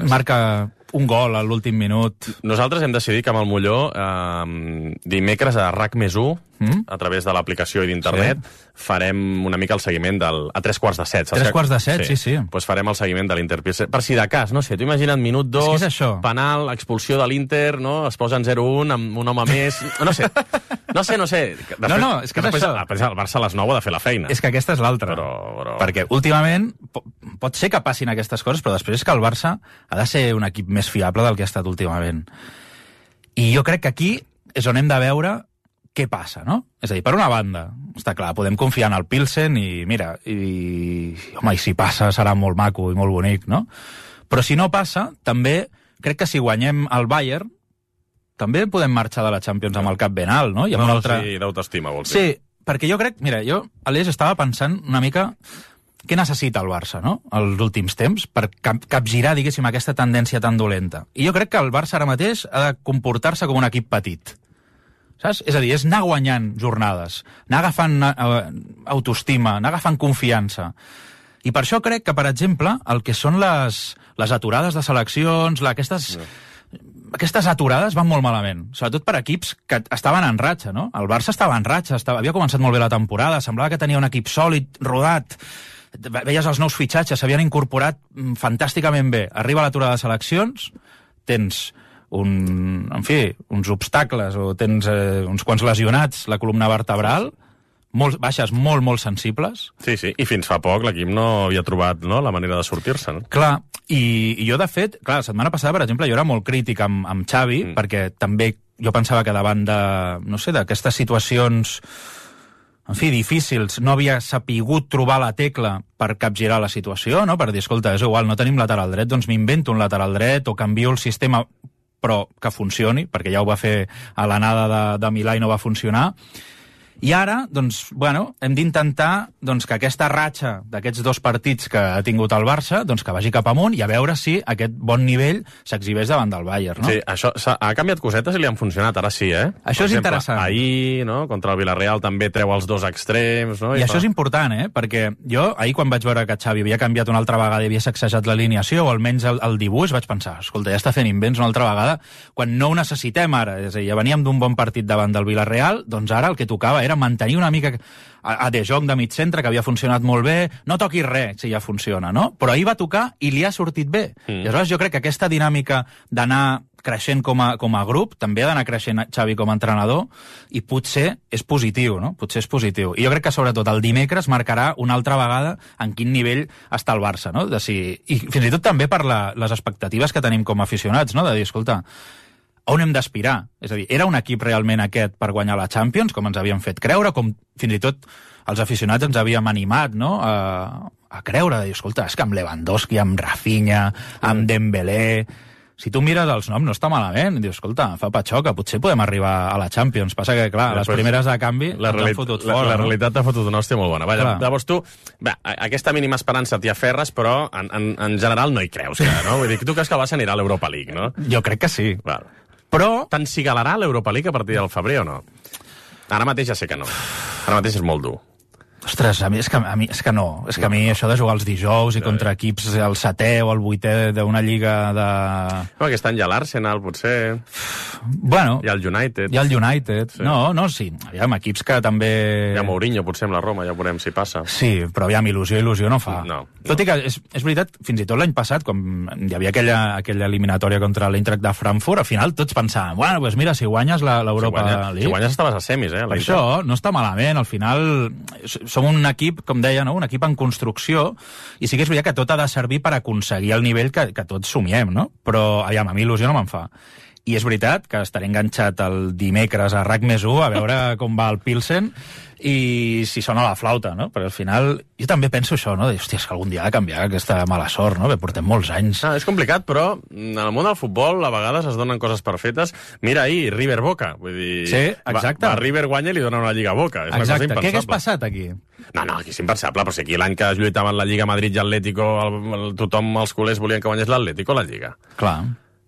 marca un gol a l'últim minut. Nosaltres hem decidit que amb el Molló dimecres a RAC+1, a través de l'aplicació i d'internet, farem una mica el seguiment a 3:15. 3:15, sí. Pues farem el seguiment de l'Inter Pilsen. Per si de cas, no sé, tu imagina't minut 2, penal, expulsió de l'Inter, no? Es posen 0-1 amb un home més... No sé. Després, és que és això. El Barça a les 9 ha de fer la feina. És que aquesta és l'altra. Perquè últimament pot ser que passin aquestes coses, però després és que el Barça ha de ser un equip més fiable del que ha estat últimament. I jo crec que aquí és on hem de veure què passa, no? És a dir, per una banda, està clar, podem confiar en el Pilsen i, mira, i si passa serà molt maco i molt bonic, no? Però si no passa, també crec que si guanyem el Bayern, també podem marxar de la Champions amb el cap ben alt, no? Sí, d'autoestima, vols dir. Sí, perquè jo crec, mira, Aleix, estava pensant una mica què necessita el Barça, no?, els últims temps, per capgirar, diguéssim, aquesta tendència tan dolenta. I jo crec que el Barça ara mateix ha de comportar-se com un equip petit. Saps? És a dir, és anar guanyant jornades, anar agafant autoestima, anar agafant confiança. I per això crec que, per exemple, el que són les aturades de seleccions, aquestes aturades van molt malament, sobretot per equips que estaven en ratxa, no? El Barça estava en ratxa, havia començat molt bé la temporada, semblava que tenia un equip sòlid, rodat, veies els nous fitxatges, s'havien incorporat fantàsticament bé. Arriba l'aturada de seleccions, tens uns obstacles o tens uns quants lesionats, la columna vertebral, baixes molt sensibles. Sí, i fins fa poc l'equip no havia trobat la manera de sortir-se. No? Clar, i jo, de fet, la setmana passada, per exemple, jo era molt crític amb Xavi, perquè també jo pensava que davant d'aquestes situacions, en fi, difícils, no havia sapigut trobar la tecla per capgirar la situació, no? Per dir, escolta, és igual, no tenim lateral dret, doncs m'invento un lateral dret o canvio el sistema però que funcioni, perquè ja ho va fer a l'anada de Milà i no va funcionar. I ara, doncs, bueno, hem d'intentar doncs, que aquesta ratxa d'aquests 2 partits que ha tingut el Barça, doncs que vagi cap amunt i a veure si aquest bon nivell s'exhibeix davant del Bayern, no? Sí, això ha canviat cosetes i li han funcionat, ara sí, eh? Això és interessant. Ahir, no?, contra el Villarreal també treu els 2 extrems, no? I això és important, perquè jo, ahir quan vaig veure que Xavi havia canviat una altra vegada i havia sacsejat l'alineació, o almenys el dibuix, vaig pensar, escolta, ja està fent invents una altra vegada, quan no ho necessitem ara. És a dir, ja veníem d'un bon partit davant del Villarreal, doncs ara el que tocava era mantenir una mica a De Jong de mig centre, que havia funcionat molt bé, no toquis res si ja funciona, no? Però ahir va tocar i li ha sortit bé. I aleshores jo crec que aquesta dinàmica d'anar creixent com a grup, també ha d'anar creixent Xavi com a entrenador, i potser és positiu, no? Potser és positiu. I jo crec que sobretot el dimecres marcarà una altra vegada en quin nivell està el Barça, no? I fins i tot també per les expectatives que tenim com a aficionats, no? De dir, escolta, on hem d'aspirar? És a dir, era un equip realment aquest per guanyar la Champions, com ens havien fet creure, com fins i tot els aficionats ens havíem animat, no?, a creure, de dir, escolta, és que amb Lewandowski, amb Rafinha, amb Dembélé... Si tu mires els noms, no està malament. Dius, escolta, fa patxoca, potser podem arribar a la Champions. Passa que, clar, les primeres de canvi t'han fotut fora. La realitat t'ha fotut una hòstia molt bona. Llavors tu, aquesta mínima esperança t'hi aferres, però en general no hi creus, no? Vull dir, tu creus que el Barça anirà a l'Europa League, no? Jo crec que sí. Però t'encigalarà l'Europa League a partir del febrer o no? Ara mateix ja sé que no. Ara mateix és molt dur. Ostres, a mi és que no. És que a mi això de jugar els dijous i contra equips el 7è o el 8è d'una lliga de... No, aquest any hi ha l'Arsenal, potser. Bueno. Hi ha el United. Hi ha el United. Sí. No, sí. Aviam, equips que també... Hi ha Mourinho, potser amb la Roma, ja veurem si passa. Sí, però aviam, il·lusió no fa. No. Tot i que és veritat, fins i tot l'any passat, quan hi havia aquella eliminatòria contra l'Eintracht de Frankfurt, al final tots pensaven, bueno, doncs mira, si guanyes l'Europa League... Si guanyes estaves a semis, Per això, no està malament. Al final som un equip, com deia, no? Un equip en construcció, i sí que és veritat que tot ha de servir per aconseguir el nivell que tots somiem, no? Però, aviam, a mi il·lusió no me'n fa. I és veritat que estaré enganxat el dimecres a RAC+1 a veure com va el Pilsen i si sona la flauta, no? Perquè al final jo també penso això, no? Hòstia, és que algun dia ha de canviar aquesta mala sort, no? Que portem molts anys. És complicat, però en el món del futbol a vegades es donen coses per fetes. Mira ahir, River Boca. Vull dir, sí, exacte. Va River guanya i li donen una Lliga a Boca. És exacte. Què hagués passat aquí? No, aquí és impensable, però si aquí l'any que es lluitaven la Lliga Madrid i Atlético, tothom, els culers volien que guanyés l'Atlético o la Lliga. Clar.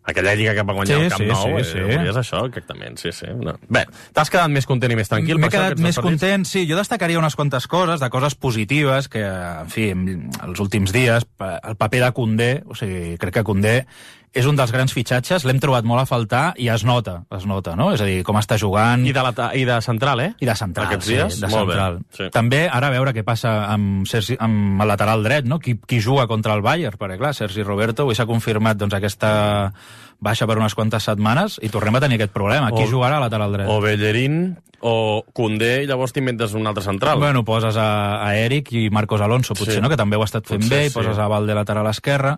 Aquella lliga que va guanyar el Camp Nou, volies això, exactament, sí. No. Bé, t'has quedat més content i més tranquil? M'he quedat més content, sí. Jo destacaria unes quantes coses, de coses positives, que, en fi, els últims dies, el paper de Koundé, o sigui, crec que Koundé és un dels grans fitxatges, l'hem trobat molt a faltar i es nota, no? És a dir, com està jugant... I de central, eh? I de central, aquests dies? De central. Sí. També, ara a veure què passa amb el lateral dret, no? Qui juga contra el Bayern, perquè clar, Sergi Roberto, avui s'ha confirmat doncs, aquesta baixa per unes quantes setmanes i tornem a tenir aquest problema. Qui jugarà a lateral dret? O Bellerín o Koundé, i llavors t'inventes un altre central. Bueno, poses a Eric i Marcos Alonso, potser, no? Que també ho ha estat fent bé, i poses a Valde lateral esquerra.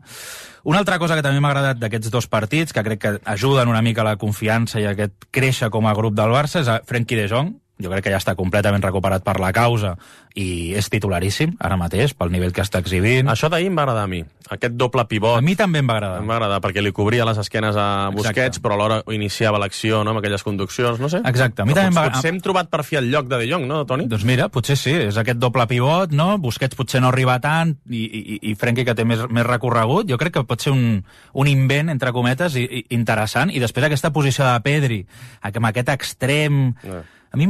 Una altra cosa que també m'ha agradat d'aquests 2 partits, que crec que ajuden una mica a la confiança i a aquest créixer com a grup del Barça, és a Frenkie de Jong. Jo crec que ja està completament recuperat per la causa i és titularíssim ara mateix pel nivell que està exhibint. Això d'ahir em va agradar a mi, aquest doble pivot. A mi també em va agradar. Em va agradar perquè li cobria les esquenes a Busquets, però alhora iniciava l'acció, no?, amb aquelles conduccions, no sé. Exacte. A mi també potser hem trobat per fi el lloc de De Jong, no, Toni? Doncs mira, potser sí, és aquest doble pivot, no? Busquets potser no arriba tant i Frenkie, que té més recorregut, jo crec que pot ser un invent, entre cometes, interessant, i després aquesta posició de Pedri, amb aquest extrem... A mi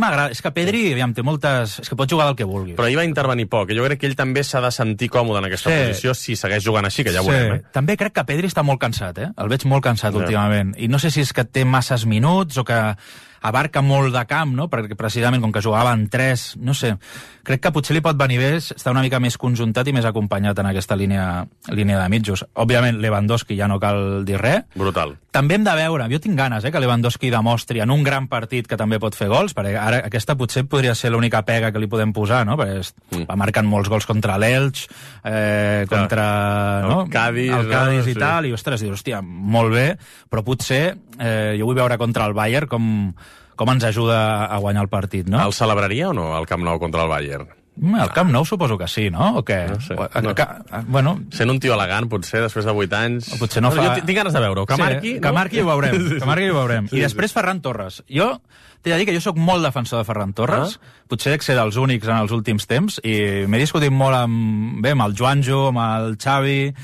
m'agrada. És que Pedri, aviam, té moltes... És que pot jugar del que vulgui. Però ahir va intervenir poc. Jo crec que ell també s'ha de sentir còmode en aquesta posició si segueix jugant així, que ja ho veurem. També crec que Pedri està molt cansat, El veig molt cansat últimament. I no sé si és que té masses minuts o que abarca molt de camp, no? Perquè precisament, com que jugava en 3, no sé, crec que potser li pot venir bé estar una mica més conjuntat i més acompanyat en aquesta línia de mitjos. Òbviament, Lewandowski ja no cal dir res. Brutal. També hem de veure, jo tinc ganes, que Lewandowski demostri en un gran partit que també pot fer gols, perquè ara aquesta potser podria ser l'única pega que li podem posar, no? Perquè va marcant molts gols contra l'Elx, contra el Cádiz i tal, i ostres, dius, hòstia, molt bé, però potser jo vull veure contra el Bayern com ens ajuda a guanyar el partit, no? El celebraria o no, el Camp Nou contra el Bayern? El Camp Nou suposo que sí, no? O què? No sé. Bueno, sent un tio elegant, potser, després de 8 anys... Potser no fa... Jo tinc ganes de veure-ho. Que marqui, que marqui i ho veurem. Que marqui i ho veurem. Sí, I després Ferran Torres. Jo t'he de dir que jo sóc molt defensor de Ferran Torres. Potser que ser dels únics en els últims temps. I m'he discutit molt amb el Juanjo, amb el Xavi...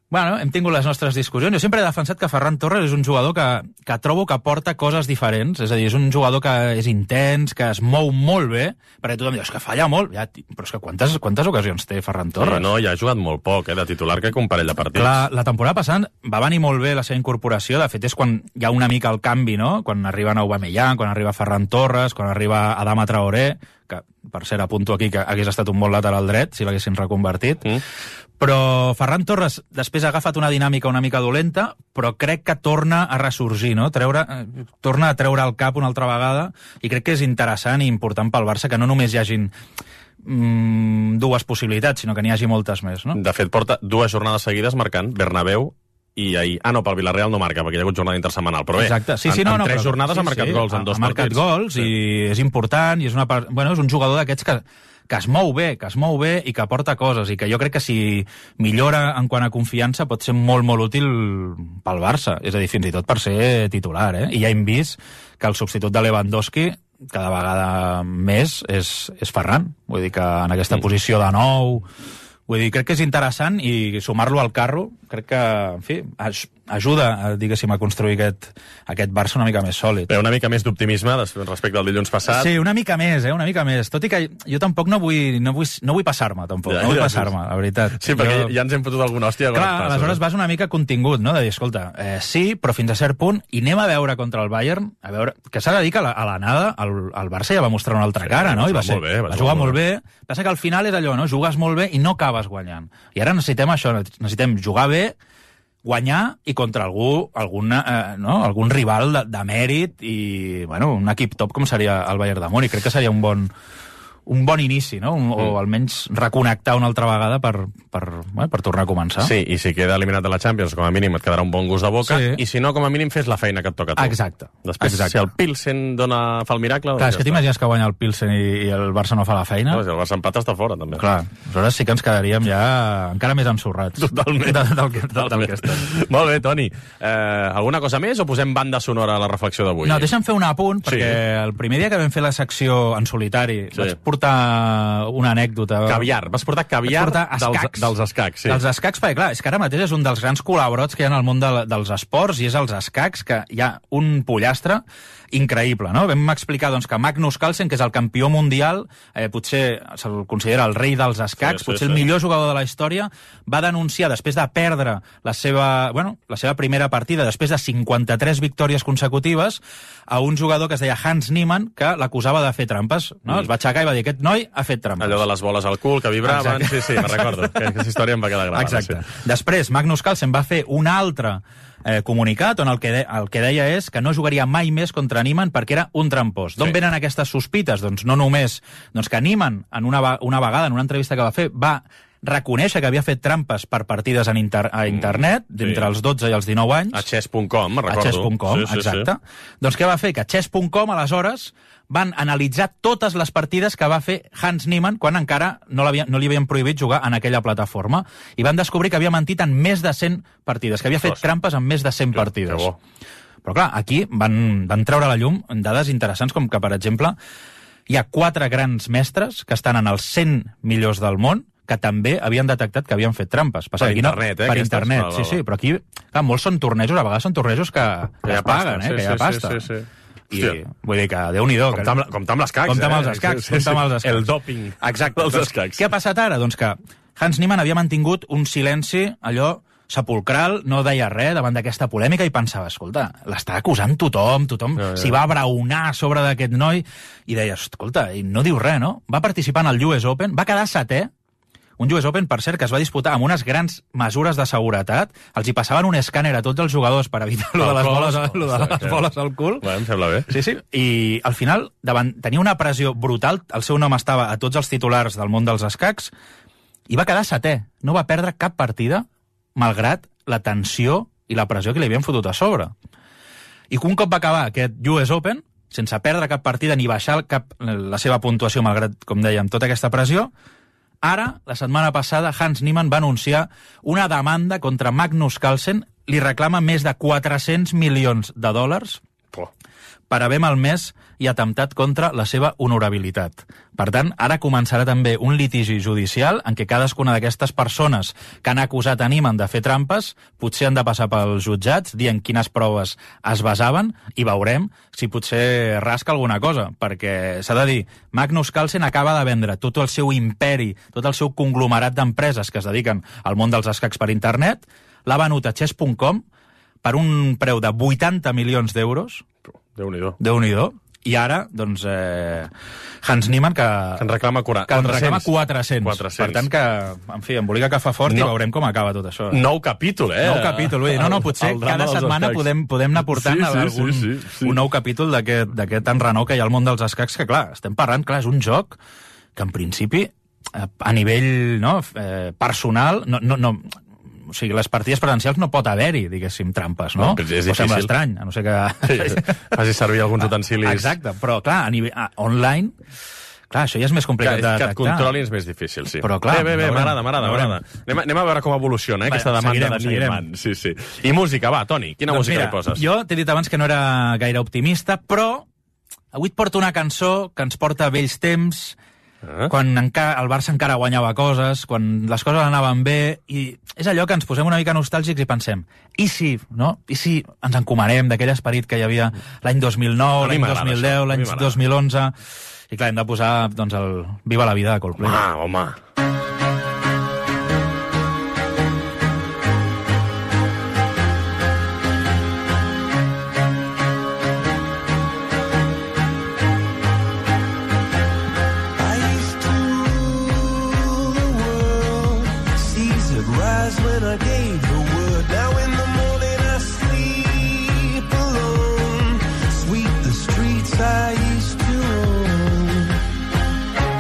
Bueno, hem tingut les nostres discussions. Jo sempre he defensat que Ferran Torres és un jugador que trobo que porta coses diferents. És a dir, és un jugador que és intens, que es mou molt bé, perquè tothom diu, és que falla molt. Ja, però és que quantes ocasions té Ferran Torres? Sí, no, ja ha jugat molt poc, de titular, que un parell de partits. La temporada passada va venir molt bé la seva incorporació. De fet, és quan hi ha una mica el canvi, no? Quan arriba Aubameyang, quan arriba Ferran Torres, quan arriba Adama Traoré, que, per cert, apunto aquí que hagués estat un bon lateral dret, si l'haguessin reconvertit. Però Ferran Torres després ha agafat una dinàmica una mica dolenta, però crec que torna a ressorgir, no? Torna a treure el cap una altra vegada, i crec que és interessant i important pel Barça que no només hi hagin dues possibilitats, sinó que n'hi hagi moltes més, no? De fet, porta 2 jornades seguides marcant Bernabéu i ahir... pel Villarreal no marca, perquè hi ha hagut jornada intersetmanal, però bé, exacte. En 3 jornades ha marcat gols en 2 partits. Ha marcat gols i és important, i és un jugador d'aquests que es mou bé i que aporta coses, i que jo crec que si millora en quant a confiança pot ser molt, molt útil pel Barça. És a dir, fins i tot per ser titular, I ja hem vist que el substitut de Lewandowski cada vegada més és Ferran. Vull dir que en aquesta posició de nou... Vull dir, crec que és interessant, i sumar-lo al carro crec que, en fi, ajuda, diguéssim, a construir aquest Barça una mica més sòlid. Una mica més d'optimisme respecte al dilluns passat. Sí, una mica més, una mica més. Tot i que jo tampoc no vull passar-me, tampoc. No vull passar-me, la veritat. Sí, perquè ja ens hem fotut alguna hòstia. Clar, aleshores vas una mica contingut, no? De dir, escolta, sí, però fins a cert punt, i anem a veure contra el Bayern, a veure, que s'ha de dir que a l'anada el Barça ja va mostrar una altra cara, no? Va jugar molt bé. Passa que al final és allò, no? Jugues molt bé i no acabes guanyant. I ara necessitem això, necessitem jugar bé, guanyar i contra algun rival de mèrit i, bueno, un equip top com seria el Bayern de Múnich. Crec que seria un bon inici, no? O almenys reconnectar una altra vegada per tornar a començar. Sí, i si queda eliminat de la Champions, com a mínim et quedarà un bon gust de boca, i si no, com a mínim fes la feina que et toca a tu. Exacte. Després, si el Pilsen fa el miracle... Clar, és que t'imagines que guanya el Pilsen i el Barça no fa la feina? Si el Barça empata està fora, també. Clar, aleshores sí que ens quedaríem ja encara més ensorrats. Totalment. Del que estem. Molt bé, Toni. Alguna cosa més o posem banda sonora a la reflexió d'avui? No, deixa'm fer un apunt, perquè el primer dia que vam fer la secció en solitari vaig portar una anècdota. Caviar. Vas portar caviar dels escacs. Sí. Dels escacs, perquè clar, és que ara mateix és un dels grans col·laborats que hi ha en el món dels esports, i és els escacs, que hi ha un pollastre increïble, no? Vam explicar doncs, que Magnus Carlsen, que és el campió mundial, potser se'l considera el rei dels escacs, potser el millor jugador de la història, va denunciar, després de perdre la seva primera partida, després de 53 victòries consecutives, a un jugador que es deia Hans Niemann, que l'acusava de fer trampes, no? Es va aixecar i va dir, aquest noi ha fet trampes. Allò de les boles al cul, que vibraven. Exacte. Sí, me'n recordo. Aquesta història em va quedar gravada. Exacte. Sí. Després, Magnus Carlsen va fer un altre comunicat on el que deia és que no jugaria mai més contra Niemann perquè era un trampós. D'on venen aquestes sospites? Doncs no només que Niemann, en una vegada, en una entrevista que va fer, va reconèixer que havia fet trampes per partides a internet, d'entre els 12 i els 19 anys. A chess.com, recordo. A chess.com, exacte. Doncs què va fer? Que a chess.com, aleshores, van analitzar totes les partides que va fer Hans Niemann quan encara no li havien prohibit jugar en aquella plataforma, i van descobrir que havia mentit en més de 100 partides, que havia fet trampes en més de 100 partides. Però clar, aquí van treure a la llum dades interessants, com que, per exemple, hi ha 4 grans mestres que estan en els 100 millors del món, que també havien detectat que havien fet trampes. Per internet, Per internet, sí. Però aquí, clar, molts són tornejos, a vegades són tornejos que es paguen, que hi ha pasta. Sí. I vull dir que Déu-n'hi-do. Compte amb les cacs. Compte amb els escacs. El dòping. Exacte. Els escacs. Què ha passat ara? Doncs que Hans Niemann havia mantingut un silenci, allò sepulcral, no deia res davant d'aquesta polèmica, i pensava, escolta, l'està acusant tothom s'hi va abraonar a sobre d'aquest noi, i deia, escolta, i no diu res, no? Va participar en el US Open, va quedar 7è, un US Open, per cert, que es va disputar amb unes grans mesures de seguretat. Els hi passaven un escàner a tots els jugadors per evitar lo de les boles al cul. Em sembla bé. Sí. I al final tenia una pressió brutal. El seu nom estava a tots els titulars del món dels escacs i va quedar 7è. No va perdre cap partida, malgrat la tensió i la pressió que li havien fotut a sobre. I un cop va acabar aquest US Open, sense perdre cap partida ni baixar la seva puntuació, malgrat, com dèiem, tota aquesta pressió. Ara, la setmana passada, Hans Niemann va anunciar una demanda contra Magnus Carlsen, li reclama més de 400 milions de dòlars per haver malmès i atemptat contra la seva honorabilitat. Per tant, ara començarà també un litigi judicial en què cadascuna d'aquestes persones que han acusat a Niemann de fer trampes potser han de passar pels jutjats, dient quines proves es basaven, i veurem si potser rasca alguna cosa, perquè s'ha de dir, Magnus Carlsen acaba de vendre tot el seu imperi, tot el seu conglomerat d'empreses que es dediquen al món dels escacs per internet, l'ha venut a chess.com per un preu de 80 milions d'euros. Déu-n'hi-do. Déu-n'hi-do. I ara, doncs, Hans Niemann, que en reclama 400. Per tant, que, en fi, embolica que fa fort i veurem com acaba tot això. Nou capítol, Nou capítol, No, potser cada setmana podem anar portant un nou capítol d'aquest enrenou que hi ha al món dels escacs, que, clar, estem parlant, és un joc que, en principi, a nivell personal, o sigui, les partides presencials no pot haver-hi, diguéssim, trampes, no? És difícil. O sembla estrany, a no ser que faci servir alguns utensilis. Exacte, però, clar, a nivell online, clar, això ja és més complicat de detectar. Que et controlin és més difícil, sí. Però, clar, bé, m'agrada. Anem a veure com evoluciona, aquesta demanda de Niemann. Sí. I música, va, Toni, quina música hi poses? Jo t'he dit abans que no era gaire optimista, però avui et porto una cançó que ens porta a vells temps, quan el Barça encara guanyava coses, quan les coses anaven bé, i és allò que ens posem una mica nostàlgics i pensem, i si ens encomanem d'aquell esperit que hi havia l'any 2009, l'any 2010, l'any 2011, i clar, hem de posar doncs, el Viva la vida de Coldplay. Home.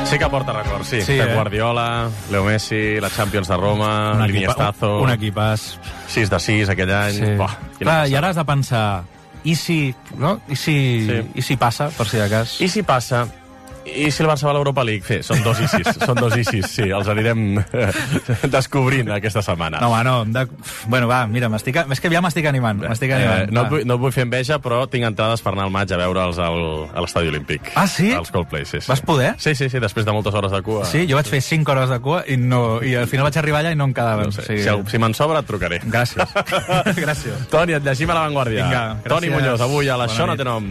Sí que porta records, sí. Pep Guardiola, Leo Messi, la Champions de Roma, l'Iniestazo... Un equipàs. 6 de 6 aquell any. Sí. Clar, i ara has de pensar, i si passa, per si de cas? I si passa... I si el Barça va a l'Europa League? Són dos i sis, sí. Els anirem descobrint aquesta setmana. No, bueno, va, mira, és que ja m'estic animant. No et vull fer enveja, però tinc entrades per anar al maig a veure'ls a l'Estadi Olímpic. Ah, sí? Els Coldplay, sí. Vas poder? Sí, després de moltes hores de cua. Sí, jo vaig fer 5 hores de cua i al final vaig arribar allà i no em quedava. No sé. Si me'n sobra, et trucaré. Gràcies. Gràcies. Toni, et llegim a La Vanguardia. Vinga, gràcies. Toni Muñoz, avui a l'Això no té nom.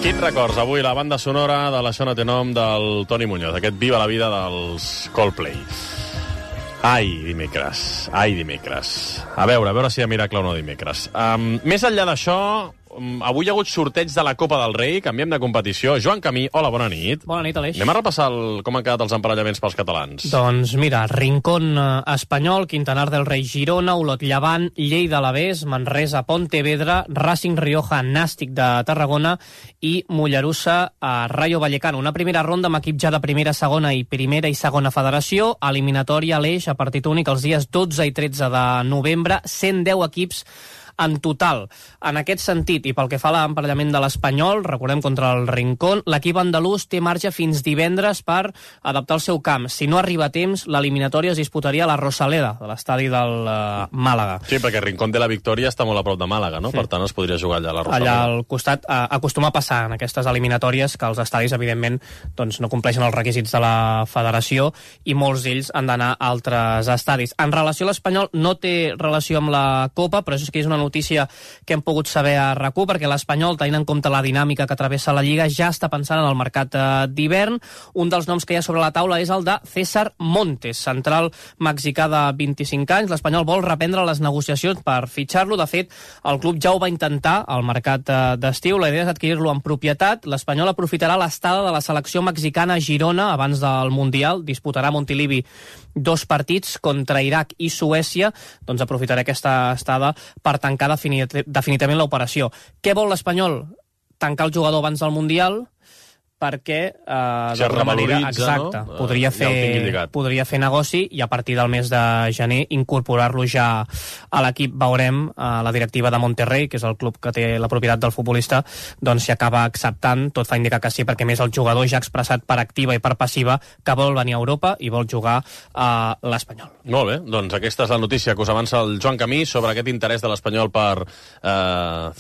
Quins records, avui la banda sonora de l'Això no té nom del Toni Muñoz, aquest Viva la vida dels Coldplay. Ai, dimecres. A veure si hi ha miracle o no dimecres. Més enllà d'això, avui hi ha hagut sorteig de la Copa del Rei, canviem de competició. Joan Camí, hola, bona nit. Bona nit, Aleix. Anem a repassar com han quedat els emparellaments pels catalans. Doncs mira, Rincón Espanyol, Quintanar del Rei Girona, Olot Llevant, Lleida Alavés, Manresa Pontevedra, Racing Rioja Nàstic de Tarragona i Mollerussa a Rayo Vallecano. Una primera ronda amb equip ja de primera, segona i segona federació, eliminatòria a l'Eix a partit únic els dies 12 i 13 de novembre, 110 equips en total. En aquest sentit, i pel que fa a l'emparellament de l'Espanyol, recordem contra el Rincón, l'equip andalús té marge fins divendres per adaptar el seu camp. Si no arriba a temps, l'eliminatòria es disputaria a la Rosaleda, de l'estadi del Màlaga. Sí, perquè Rincón de la Victòria està molt a prop de Màlaga, no? Per tant, es podria jugar allà a la Rosaleda. Allà al costat acostuma a passar en aquestes eliminatòries que els estadis, evidentment, doncs, no compleixen els requisits de la federació i molts d'ells han d'anar a altres estadis. En relació a l'Espanyol, no té relació amb la Copa, però això és que és una notícia que hem pogut saber a RAC1, perquè l'Espanyol, tenint en compte la dinàmica que travessa la Lliga, ja està pensant en el mercat d'hivern. Un dels noms que hi ha sobre la taula és el de César Montes, central mexicà de 25 anys. L'Espanyol vol reprendre les negociacions per fitxar-lo. De fet, el club ja ho va intentar al mercat d'estiu. La idea és adquirir-lo en propietat. L'Espanyol aprofitarà l'estada de la selecció mexicana a Girona abans del Mundial. Disputarà a Montilivi 2 partits contra Iraq i Suècia. Doncs aprofitarà aquesta estada per tancar definitivament l'operació. Què vol l'Espanyol? Tancar el jugador abans del Mundial, perquè d'alguna manera exacte, no? podria fer negoci i a partir del mes de gener incorporar-lo ja a l'equip. Veurem la directiva de Monterrey, que és el club que té la propietat del futbolista, doncs si acaba acceptant. Tot fa indicar que sí, perquè més el jugador ja ha expressat per activa i per passiva que vol venir a Europa i vol jugar a l'Espanyol. Molt bé, doncs aquesta és la notícia que us avança el Joan Camí sobre aquest interès de l'Espanyol per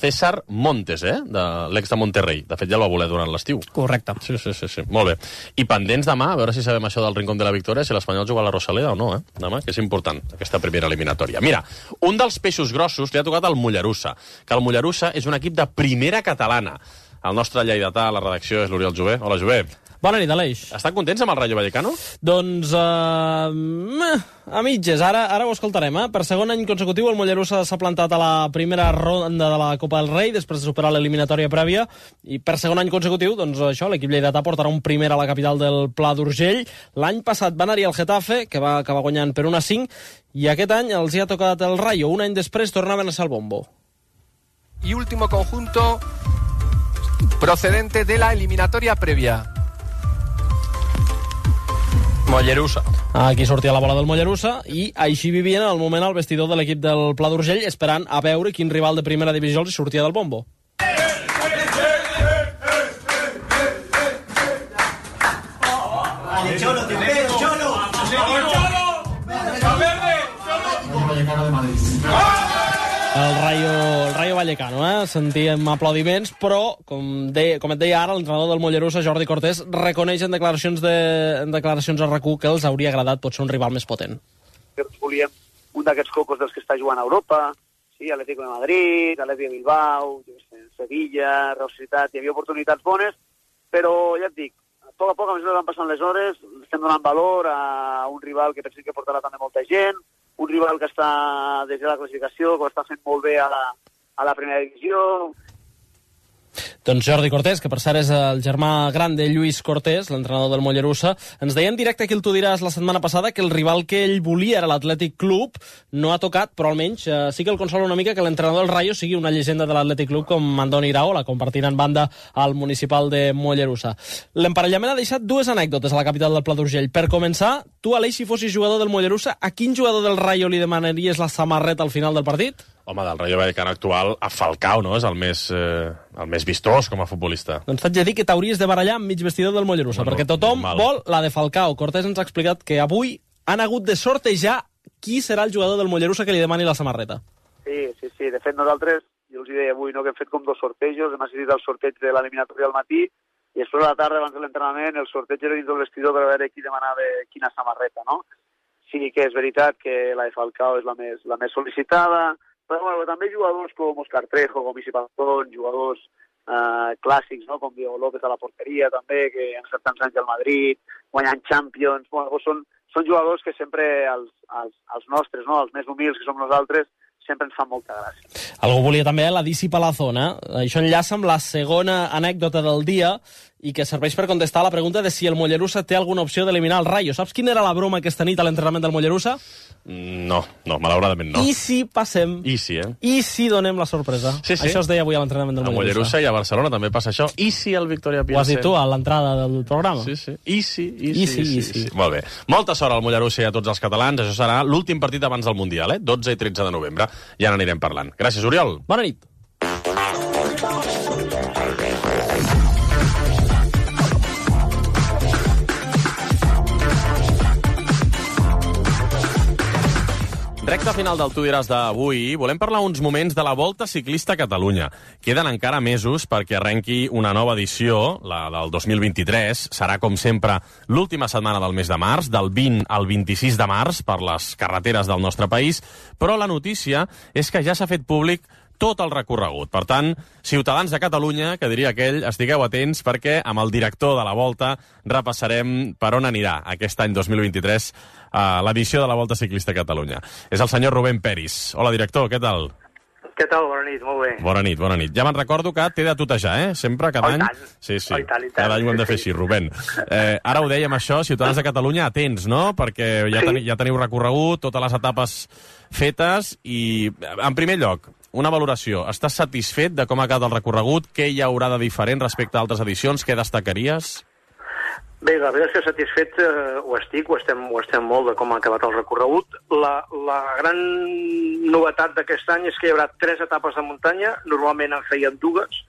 César Montes, de l'ex de Monterrey. De fet, ja el va voler durant l'estiu. Correcte. Sí. Molt bé. I pendents demà, a veure si sabem això del Rincón de la Victòria, si l'Espanyol juga a la Rosaleda o no, demà, que és important, aquesta primera eliminatòria. Mira, un dels peixos grossos li ha tocat el Mollerussa, que el Mollerussa és un equip de primera catalana. El nostre lleidatà a la redacció és l'Oriol Jové. Hola, Jové. Bona nit, Aleix. Estan contents amb el Rayo Vallecano? Doncs, a mitges. Ara ho escoltarem. Per segon any consecutiu, el Mollerussa s'ha plantat a la primera ronda de la Copa del Rei, després de superar l'eliminatòria prèvia, i per segon any consecutiu, doncs això, l'equip lleidatà portarà un primer a la capital del Pla d'Urgell. L'any passat van anar-hi al Getafe, que va acabar guanyant per 1-5, i aquest any els hi ha tocat el Rayo. Un any després tornaven a ser el bombo. Y último conjunto procedente de la eliminatoria previa. Mollerussa. Aquí sortia la bola del Mollerussa i així vivien al moment al vestidor de l'equip del Pla d'Urgell, esperant a veure quin rival de primera divisió els sortia del bombo. El Rayo Vallecano, sentíem aplaudiments, però, com et deia ara, l'entrenador del Mollerussa, Jordi Cortés, reconeix en declaracions a RAC1 que els hauria agradat potser un rival més potent. Volíem un d'aquests cocos dels que està jugant a Europa, sí, Atlético de Madrid, Atlético de Bilbao, Sevilla, Real Societat, hi havia oportunitats bones, però ja et dic, a poc a mesura que van passant les hores, estem donant valor a un rival que pensem que portarà també molta gent, un rival que està des de la classificació, que ho està fent molt bé a la primera divisió. Doncs Jordi Cortés, que per cert és el germà gran de Lluís Cortés, l'entrenador del Mollerussa, ens deia en directe que el Tu diràs la setmana passada que el rival que ell volia era l'Atlètic Club, no ha tocat, però almenys sí que el consola una mica que l'entrenador del Rayo sigui una llegenda de l'Atlètic Club com Andoni Iraola, compartint en banda al municipal de Mollerussa. L'emparellament ha deixat dues anècdotes a la capital del Pla d'Urgell. Per començar, tu, Aleix, si fossis jugador del Mollerussa, a quin jugador del Rayo li demanaries la samarreta al final del partit? Home, del Rayo Vallecano actual, a Falcao, no? És el més vistós com a futbolista. Doncs t'haig de dir que t'hauries de barallar amb mig vestidor del Mollerussa, perquè tothom vol la de Falcao. Cortés ens ha explicat que avui han hagut de sortejar qui serà el jugador del Mollerussa que li demani la samarreta. Sí. De fet, nosaltres, jo els deia avui, que hem fet com 2 sortejos, hem assistit al sorteig de l'eliminatòria al matí, i després a la tarda, abans de l'entrenament, el sorteig era dins del vestidor per veure qui demanava quina samarreta, no? Sí que és veritat que la de Falcao és la més sol·licitada, però bueno, també jugadors com Óscar Trejo, com Isi Pantón, jugadors clàssics, no? Com Diego López a la porteria també, que han estat tants anys al Madrid, guanyant Champions, bueno, són jugadors que sempre els nostres, no? Els més humils que som nosaltres, sempre ens fan molta gràcia. Algú volia també la Disi Palazona. Això enllaça amb la segona anècdota del dia i que serveix per contestar a la pregunta de si el Mollerussa té alguna opció d'eliminar el Rayo. Saps quina era la broma aquesta nit a l'entrenament del Mollerussa? No, malauradament no. I si passem? I si, I si donem la sorpresa? Sí. Això es deia avui a l'entrenament del Mollerussa. A Mollerussa i a Barcelona també passa això. I si el Victoria Pilsen? Ho has dit tu a l'entrada del programa. Sí. I si. Molt bé. Molta sort al Mollerussa i a tots els catalans. Això serà l'últim partit abans del Mundial, 12 i 13 de novembre. Ja n'anirem parlant. Gràcies, Oriol. Bona nit. Recte final del Tu diràs d'avui, volem parlar uns moments de la Volta Ciclista a Catalunya. Queden encara mesos perquè arrenqui una nova edició, la del 2023. Serà, com sempre, l'última setmana del mes de març, del 20 al 26 de març, per les carreteres del nostre país. Però la notícia és que ja s'ha fet públic tot el recorregut. Per tant, ciutadans de Catalunya, que diria aquell, estigueu atents perquè amb el director de la Volta repassarem per on anirà aquest any 2023 l'edició de la Volta Ciclista a Catalunya. És el senyor Rubén Peris. Hola, director, què tal? Què tal? Bona nit, molt bé. Bona nit, bona nit. Ja me'n recordo que t'he de tutejar, Sempre, cada any. Sí. Cada any ho hem de fer així, Rubén. Ara ho dèiem això, ciutadans de Catalunya, atents, no? Perquè ja teniu recorregut, totes les etapes fetes i, en primer lloc, una valoració. Estàs satisfet de com ha quedat el recorregut? Què hi haurà de diferent respecte a altres edicions? Què destacaries? Bé, la veritat és que satisfet ho estem molt de com ha acabat el recorregut. La gran novetat d'aquest any és que hi haurà 3 etapes de muntanya, normalment en feien 2,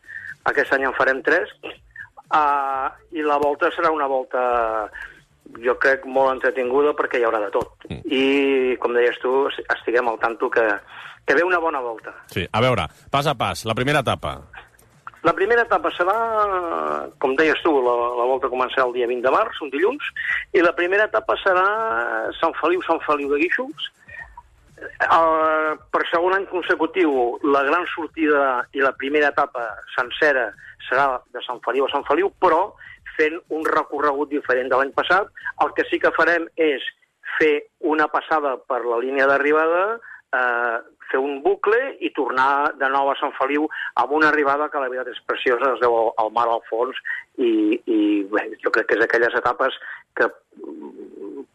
aquest any en farem 3, i la volta serà una volta, jo crec, molt entretinguda perquè hi haurà de tot. I, com deies tu, estiguem al tanto que ve una bona volta. Sí, a veure, pas a pas, la primera etapa. La primera etapa serà, com deies tu, la volta començarà el dia 20 de març, un dilluns, i la primera etapa serà Sant Feliu de Guíxols. Per segon any consecutiu, la gran sortida i la primera etapa sencera serà de Sant Feliu a Sant Feliu, però fent un recorregut diferent de l'any passat. El que sí que farem és fer una passada per la línia d'arribada, fer un bucle i tornar de nou a Sant Feliu amb una arribada que la veritat és preciosa, es veu el mar al fons i bé, jo crec que és aquelles etapes que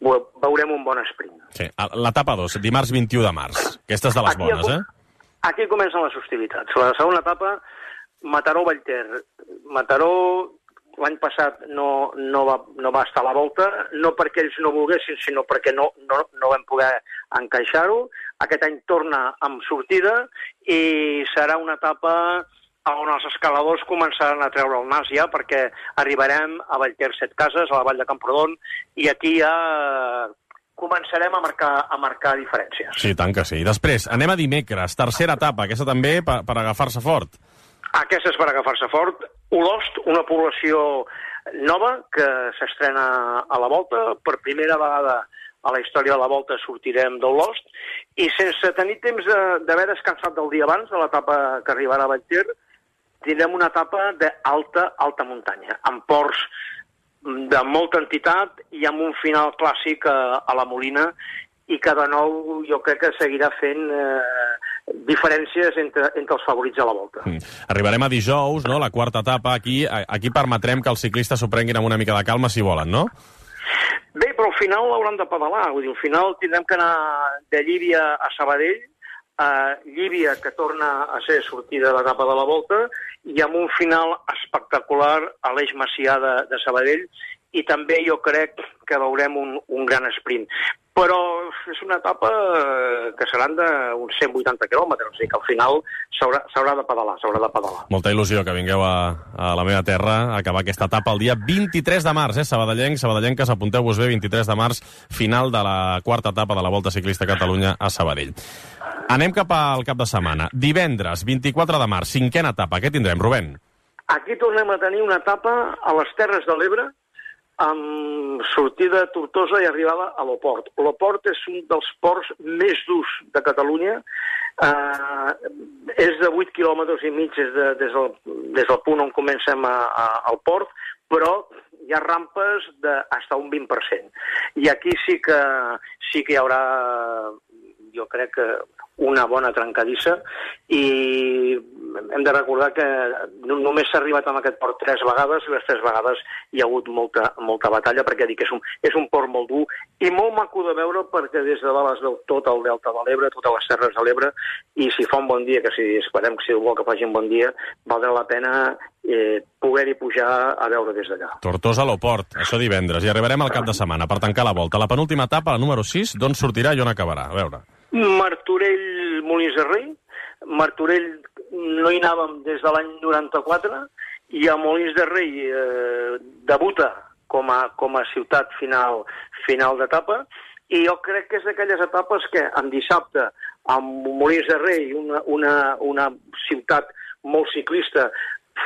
veurem un bon sprint. Sí, l'etapa 2, dimarts 21 de març. Aquesta és de les bones, Aquí comencen les hostilitats. La segona etapa, Mataró-Vallter. Mataró l'any passat no va estar a la volta, no perquè ells no volguessin, sinó perquè no vam poder encaixar-ho. Aquest any torna amb sortida i serà una etapa on els escaladors començaran a treure el nas ja, perquè arribarem a Vallter 7 Cases, a la vall de Camprodon, i aquí ja començarem a marcar diferències. Sí, tant que sí. Després, anem a dimecres, tercera etapa, aquesta també per agafar-se fort. Aquesta és per agafar-se fort. Olost, una població nova que s'estrena a la volta. Per primera vegada a la història de la volta sortirem d'Olost i sense tenir temps d'haver descansat del dia abans de l'etapa que arribarà a Vallter, tindrem una etapa d'alta muntanya, amb ports de molta entitat i amb un final clàssic a la Molina, i que de nou jo crec que seguirà fent diferències entre els favorits a la volta. Arribarem a dijous, no?, la quarta etapa. Aquí permetrem que els ciclistes s'ho prenguin amb una mica de calma si volen, no? Bé, però al final l'hauran de pedalar. Vull dir, al final tindrem que anar de Llívia a Sabadell, Llívia que torna a ser sortida de l'etapa de la volta, i amb un final espectacular a l'Eix Macià de Sabadell, i també jo crec que veurem un gran sprint. Però és una etapa que seran d'uns 180 quilòmetres, o sigui que al final s'haurà de pedalar. Molta il·lusió que vingueu a la meva terra a acabar aquesta etapa el dia 23 de març, sabadellenques, apunteu-vos bé, 23 de març, final de la quarta etapa de la Volta Ciclista a Catalunya a Sabadell. Anem cap al cap de setmana. Divendres, 24 de març, cinquena etapa. Què tindrem, Rubén? Aquí tornem a tenir una etapa a les Terres de l'Ebre, amb sortida a Tortosa i arribada a l'Oport. L'Oport és un dels ports més durs de Catalunya. És de 8 quilòmetres i mig des del punt on comencem al port, però hi ha rampes d'hasta un 20%. I aquí sí que hi haurà, jo crec que una bona trencadissa, i hem de recordar que només s'ha arribat a aquest port 3 vegades, i les 3 vegades hi ha hagut molta batalla, perquè dic que és un port molt dur i molt maco de veure, perquè des de dalt es veu tot el delta de l'Ebre, totes les Terres de l'Ebre, i si fa un bon dia, que si esperem que si vol que faci un bon dia, valdrà la pena poder-hi pujar a veure des d'allà. Tortosa a l'Oport, això divendres, i arribarem al cap de setmana per tancar la volta. La penúltima etapa, la número 6, d'on sortirà i on acabarà? A veure. Martorell, Molins de Rei. Martorell no hi anàvem des de l'any 94, i a Molins de Rei debuta com a ciutat final d'etapa, I jo crec que és d'aquelles etapes que en dissabte, amb Molins de Rei, una ciutat molt ciclista,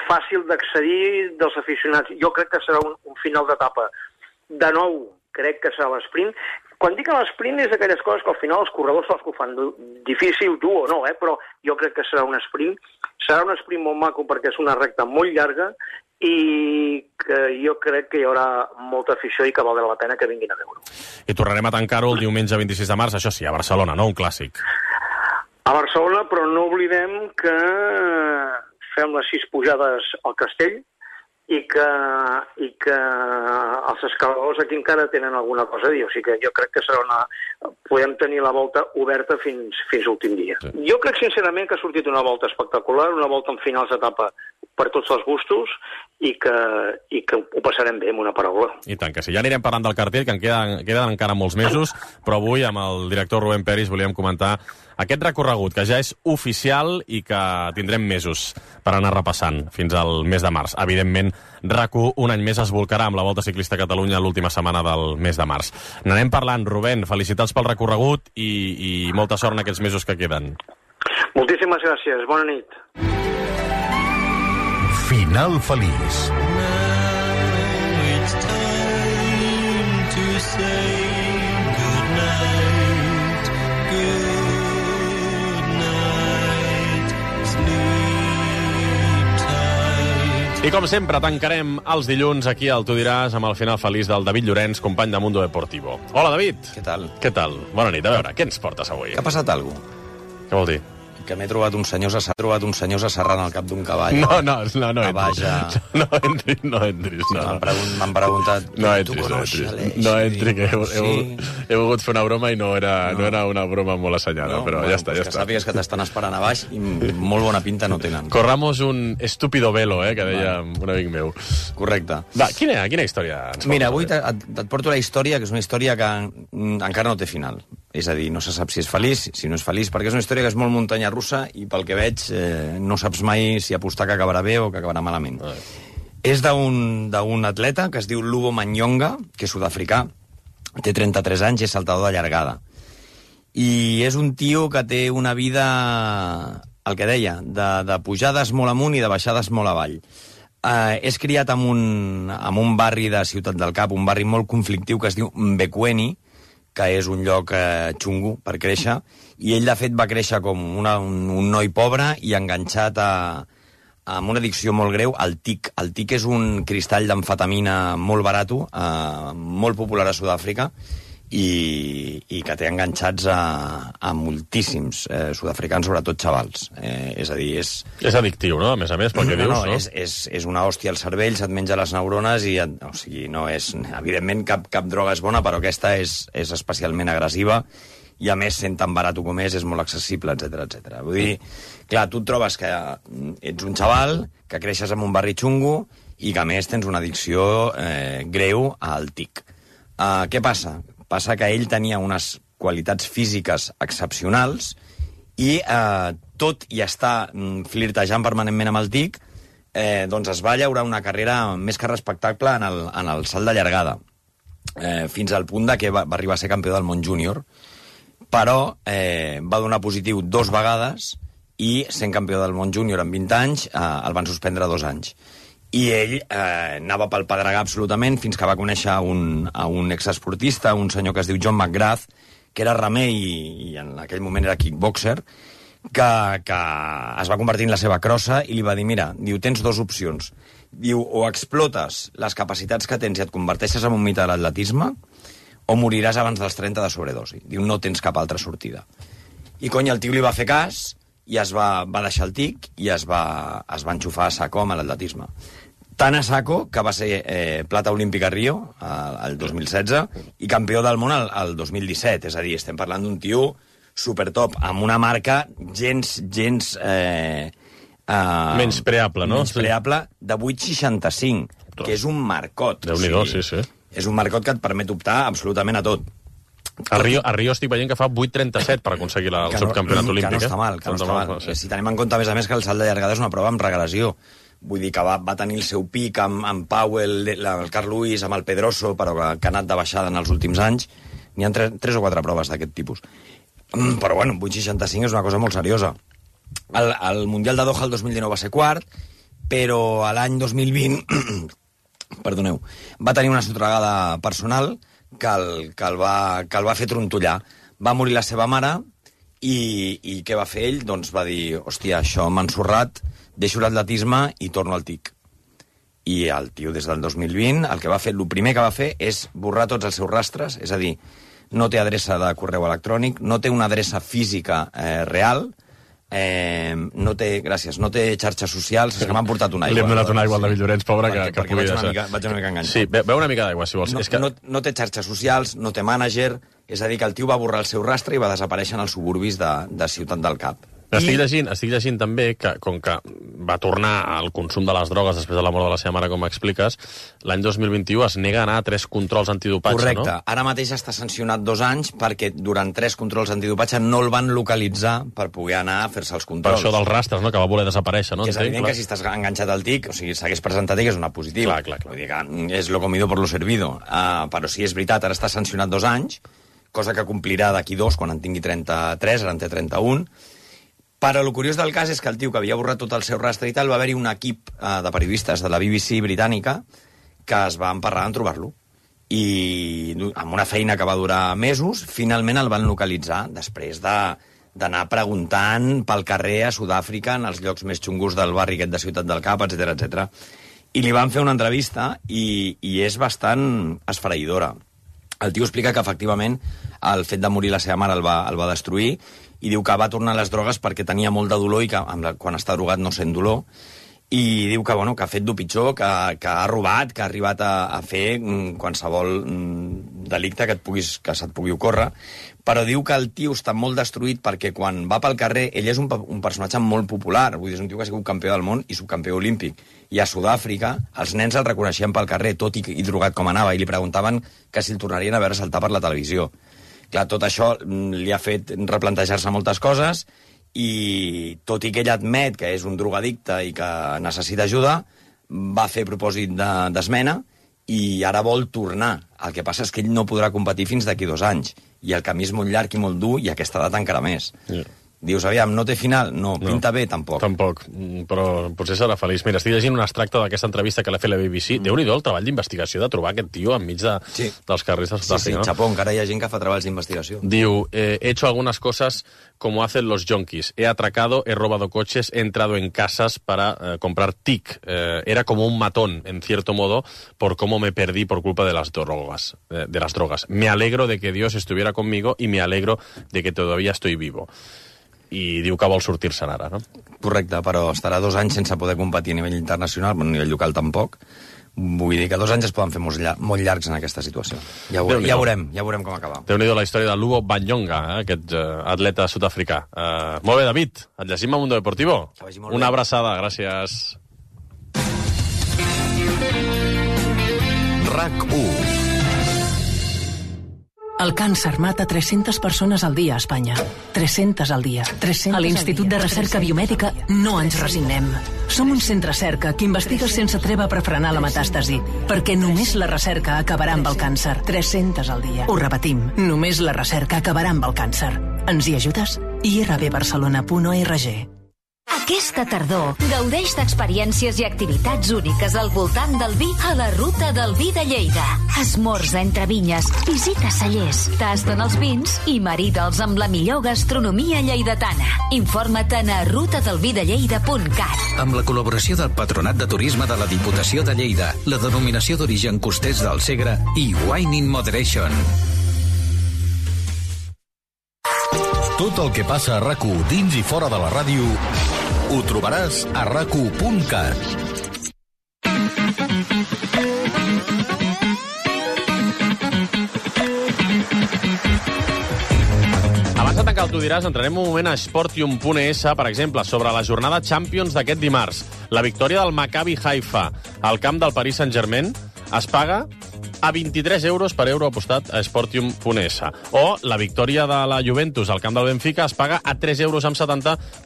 fàcil d'accedir dels aficionats, jo crec que serà un final d'etapa. De nou, crec que serà l'esprint. Quan dic l'esprint és d'aquelles coses que al final els corredors són els que ho fan difícil, dur o no, però jo crec que serà un sprint. Serà un sprint molt maco perquè és una recta molt llarga i que jo crec que hi haurà molta afició i que valdrà la pena que vinguin a veure-ho. I tornarem a tancar-ho el diumenge 26 de març, això sí, a Barcelona, no? Un clàssic. A Barcelona, però no oblidem que fem les 6 pujades al Castell i que els escaladors aquí encara tenen alguna cosa a dir. O sigui que jo crec que serà podem tenir la volta oberta fins l'últim dia. Sí. Jo crec sincerament que ha sortit una volta espectacular, una volta en finals d'etapa per tots els gustos i que ho passarem bé, amb una paraula. I tant que sí. Ja anirem parlant del cartell, que en queden encara molts mesos, però avui amb el director Rubén Peris volíem comentar aquest recorregut, que ja és oficial i que tindrem mesos per anar repassant fins al mes de març. Evidentment, RAC1 un any més es volcarà amb la Volta Ciclista a Catalunya l'última setmana del mes de març. N'anem parlant, Rubén, felicitats pel recorregut i molta sort en aquests mesos que queden. Moltíssimes gràcies, bona nit. Final feliç. I com sempre, tancarem els dilluns aquí al Tu diràs amb el final feliç del David Llorenç, company de Mundo Deportivo. Hola, David. Què tal? Què tal? Bona nit. A veure, què ens portes avui? Que ha passat alguna cosa? Què vol dir? Que m'he trobat uns senyors asserrant al cap d'un cavall. No entris. No entris. No. M'han preguntat... No entri, que he volgut fer una broma i no era una broma molt assenyada, però ja està. Que sàpigues que t'estan esperant a baix i molt bona pinta no tenen. Corramos un estúpido velo, que deia un amic meu. Correcte. Va, quina història ens portes? Mira, avui et porto la història, que és una història que encara no té final. És a dir, no se sap si és feliç, si no és feliç, perquè és una història que és molt muntanya russa i pel que veig no saps mai si apostar que acabarà bé o que acabarà malament. És d'un atleta que es diu Lubo Manyonga, que és sud-africà, té 33 anys i és saltador de llargada. I és un tio que té una vida, el que deia, de pujades molt amunt i de baixades molt avall. És criat en un barri de Ciutat del Cap, un barri molt conflictiu que es diu Mbekweni, que és un lloc xungo per créixer, i ell, de fet, va créixer com un noi pobre i enganxat amb una addicció molt greu al TIC. El TIC és un cristall d'amfetamina molt barat, molt popular a Sud-àfrica, i que té enganxats a moltíssims sud-africans, sobretot xavals. És a dir, és addictiu, no? A més, pel que dius, no? És una hòstia al cervell, se't menja les neurones i... O sigui, no és... Evidentment, cap droga és bona, però aquesta és especialment agressiva i, a més, sent tan barat com és molt accessible, etc. Vull dir, clar, tu et trobes que ets un xaval, que creixes en un barri xungo i que, a més, tens una addicció greu al TIC. Què passa? Passa que ell tenia unes qualitats físiques excepcionals i tot i estar flirtejant permanentment amb el TIC, doncs es va llaurar una carrera més que respectable en el salt de llargada, fins al punt de que va arribar a ser campió del món júnior, però va donar positiu 2 vegades i, sent campió del món júnior en 20 anys, el van suspendre 2 anys. I ell anava pel pedregar absolutament fins que va conèixer un exesportista, un senyor que es diu John McGrath, que era remer i en aquell moment era kickboxer, que es va convertir en la seva crossa i li va dir, mira, diu, tens 2 opcions. Diu, o explotes les capacitats que tens i et converteixes en un mite de l'atletisme, o moriràs abans dels 30 de sobredosi. Diu, no tens cap altra sortida. I cony, el tio li va fer cas i va deixar el TIC i es va enxufar a saco amb l'atletisme. Tant a saco que va ser plata olímpica a Rio el 2016 i campió del món el 2017. És a dir, estem parlant d'un tio supertop, amb una marca gens menyspreable, no? Menyspreable, de 8,65, que és un marcot. Déu-n'hi-do, sí. És un marcot que et permet optar absolutament a tot. A Rio estic veient que fa 8,37 per aconseguir el subcampionat olímpic. Que no està mal. Si tenim en compte, a més, que el salt de llargada és una prova amb regressió. Vull dir que va tenir el seu pic amb Powell, el Carl Lewis, amb el Pedroso, però que ha anat de baixada en els últims anys. N'hi ha 3 o 4 proves d'aquest tipus. Però, bueno, 8,65 és una cosa molt seriosa. El Mundial de Doha el 2019 va ser quart, però l'any 2020 perdoneu, va tenir una sotragada personal que el va fer trontollar. Va morir la seva mare i què va fer ell? Doncs va dir, hòstia, això m'ha ensorrat, deixo l'atletisme i torno al TIC. I el tio, des del 2020, el primer que va fer és borrar tots els seus rastres, és a dir, no té adreça de correu electrònic, no té una adreça física real, no té xarxes socials, és que m'han portat una aigua. Li hem donat una aigua al David Llorenç, pobre, que pugui deixar. Vaig una mica enganxat. Sí, beu una mica d'aigua, si vols. No té xarxes socials, no té mànager, és a dir, que el tio va borrar el seu rastre i va desaparèixer en els suburbis de Ciutat del Cap. Estic llegint també que, com que va tornar al consum de les drogues després de la mort de la seva mare, com expliques, l'any 2021 es nega a anar a 3 controls antidopatge, correcte. No? Ara mateix està sancionat 2 anys perquè durant 3 controls antidopatge no el van localitzar per poder anar a fer-se els controls. Per això dels rastres, no?, que va voler desaparèixer, no? Que és evident que si estàs enganxat al TIC, o sigui, s'hagués presentat que és una positiva. Clar. Vull dir que és lo comido por lo servido. Però sí, és veritat, ara està sancionat 2 anys, cosa que complirà d'aquí 2, quan en tingui 33, ara en té 31. Però el curiós del cas és que el tio que havia borrat tot el seu rastre i tal, va haver-hi un equip de periodistes de la BBC britànica que es va emparrar en trobar-lo. I amb una feina que va durar mesos, finalment el van localitzar, després d'anar preguntant pel carrer a Sud-àfrica, en els llocs més xungos del barri aquest de Ciutat del Cap, etc. I li van fer una entrevista i és bastant esfereïdora. El tio explica que, efectivament, el fet de morir la seva mare el va destruir, i diu que va tornar a les drogues perquè tenia molt de dolor i que quan està drogat no sent dolor, i diu que ha fet d'ho pitjor, que ha robat, que ha arribat a fer qualsevol delicte que se't pugui ocórrer, però diu que el tio està molt destruït perquè quan va pel carrer, ell és un personatge molt popular, vull dir, és un tio que ha sigut campió del món i subcampió olímpic, i a Sud-àfrica els nens el reconeixien pel carrer, tot i drogat com anava, i li preguntaven que si el tornarien a veure saltar per la televisió. Clar, tot això li ha fet replantejar-se moltes coses i, tot i que ell admet que és un drogadicte i que necessita ajuda, va fer propòsit d'esmena i ara vol tornar. El que passa és que ell no podrà competir fins d'aquí 2 anys i el camí és molt llarg i molt dur i aquesta edat encara més. Dius, aviam, no té final? No. Pinta bé, tampoc. Tampoc, però potser serà feliç. Mira, estic llegint un extracte d'aquesta entrevista que l'ha fet la BBC. Déu-n'hi-do el treball d'investigació de trobar aquest tio enmig dels carrers de Sud-àfrica. Sí, xapó, encara hi ha gent que fa treballs d'investigació. Diu, he hecho algunas cosas como hacen los yonkis. He atracado, he robado coches, he entrado en casas para comprar TIC. Era como un matón, en cierto modo, por cómo me perdí por culpa de las drogas. Me alegro de que Dios estuviera conmigo y me alegro de que todavía estoy vivo. I diu que vol sortir-se'n ara, no? Correcte, però estarà 2 anys sense poder competir a nivell internacional, a nivell local tampoc. Vull dir que 2 anys es poden fer molt llargs en aquesta situació. Ja veurem com acaba. Déu-n'hi-do la història de Lubo Banyonga, aquest atleta sud-africà. Molt bé, David, et llegim a Mundo Deportivo. Una abraçada, gràcies. RAC1. El càncer mata 300 persones al dia a Espanya. 300 al dia. A l'Institut de Recerca Biomèdica no ens resignem. Som un centre cerca que investiga sense treva per frenar la metàstasi, perquè només la recerca acabarà amb el càncer. 300 al dia. Ho repetim, només la recerca acabarà amb el càncer. Ens hi ajudes? irbbarcelona.org. Aquesta tardor, gaudeix d'experiències i activitats úniques al voltant del vi a la Ruta del Vi de Lleida. Esmorza entre vinyes, visita cellers, tasten els vins i marida'ls amb la millor gastronomia lleidatana. Informa't a rutadelvidelleida.cat. Amb la col·laboració del Patronat de Turisme de la Diputació de Lleida, la denominació d'origen Costers del Segre i Wine in Moderation. Tot el que passa a RAC1 dins i fora de la ràdio ho trobaràs a rac1.cat. Abans de tancar el Tu diràs, entrarem un moment a Sportium.es, per exemple, sobre la jornada Champions d'aquest dimarts. La victòria del Maccabi Haifa al camp del Paris Saint-Germain es paga a 23 euros per euro apostat a Sportium.es. O la victòria de la Juventus al camp del Benfica es paga a 3,70 euros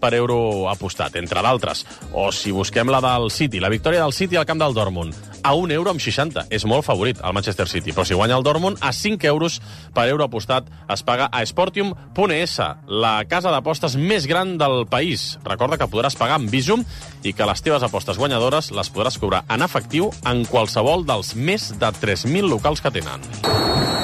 per euro apostat, entre d'altres. O si busquem la del City, la victòria del City al camp del Dortmund, a 1,60 €. És molt favorit el Manchester City, però si guanya el Dortmund, a 5 euros per euro apostat es paga a Sportium.es, la casa d'apostes més gran del país. Recorda que podràs pagar amb Bizum i que les teves apostes guanyadores les podràs cobrar en efectiu en qualsevol dels més de 3.000 locals que tenen.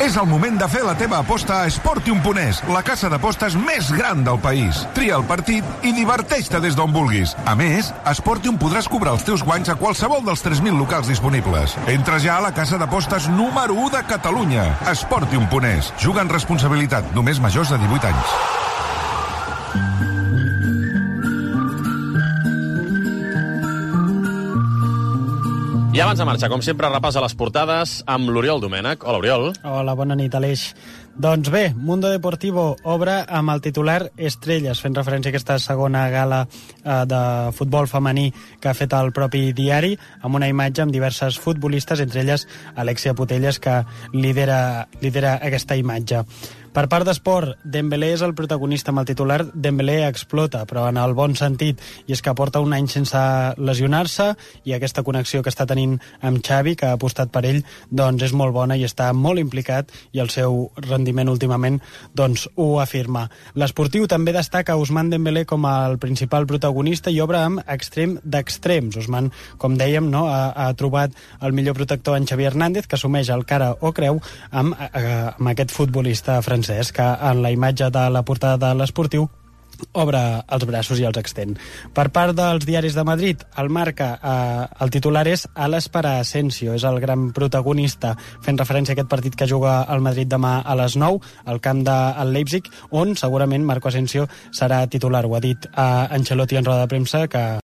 És el moment de fer la teva aposta a Sportium.es, la casa d'apostes més gran del país. Tria el partit i diverteix-te des d'on vulguis. A més, a Sportium podràs cobrar els teus guanys a qualsevol dels 3.000 locals disponibles. Entra ja a la casa d'apostes número 1 de Catalunya, Sportium.es. Juga amb responsabilitat, només majors de 18 anys. I abans de marxar, com sempre, repàs a les portades amb l'Oriol Domènech. Hola, Oriol. Hola, bona nit, Aleix. Doncs bé, Mundo Deportivo obre amb el titular Estrelles, fent referència a aquesta segona gala de futbol femení que ha fet el propi diari, amb una imatge amb diverses futbolistes, entre elles Alexia Putellas, que lidera aquesta imatge. Per part d'esport, Dembélé és el protagonista amb el titular Dembélé explota, però en el bon sentit, i és que porta un any sense lesionar-se i aquesta connexió que està tenint amb Xavi, que ha apostat per ell, doncs és molt bona i està molt implicat i el seu rendiment últimament doncs ho afirma. L'esportiu també destaca Ousmane Dembélé com el principal protagonista i obre amb extrem d'extrems. Ousmane, com dèiem, no, ha trobat el millor protector en Xavi Hernández, que assumeix el cara o creu amb aquest futbolista francès, que en la imatge de la portada de l'esportiu obre els braços i els extén. Per part dels diaris de Madrid, el Marca, el titular és Alas para Asensio, és el gran protagonista, fent referència a aquest partit que juga el Madrid demà a les 9, al camp del Leipzig, on segurament Marco Asensio serà titular. Ho ha dit Ancelotti en roda de premsa, que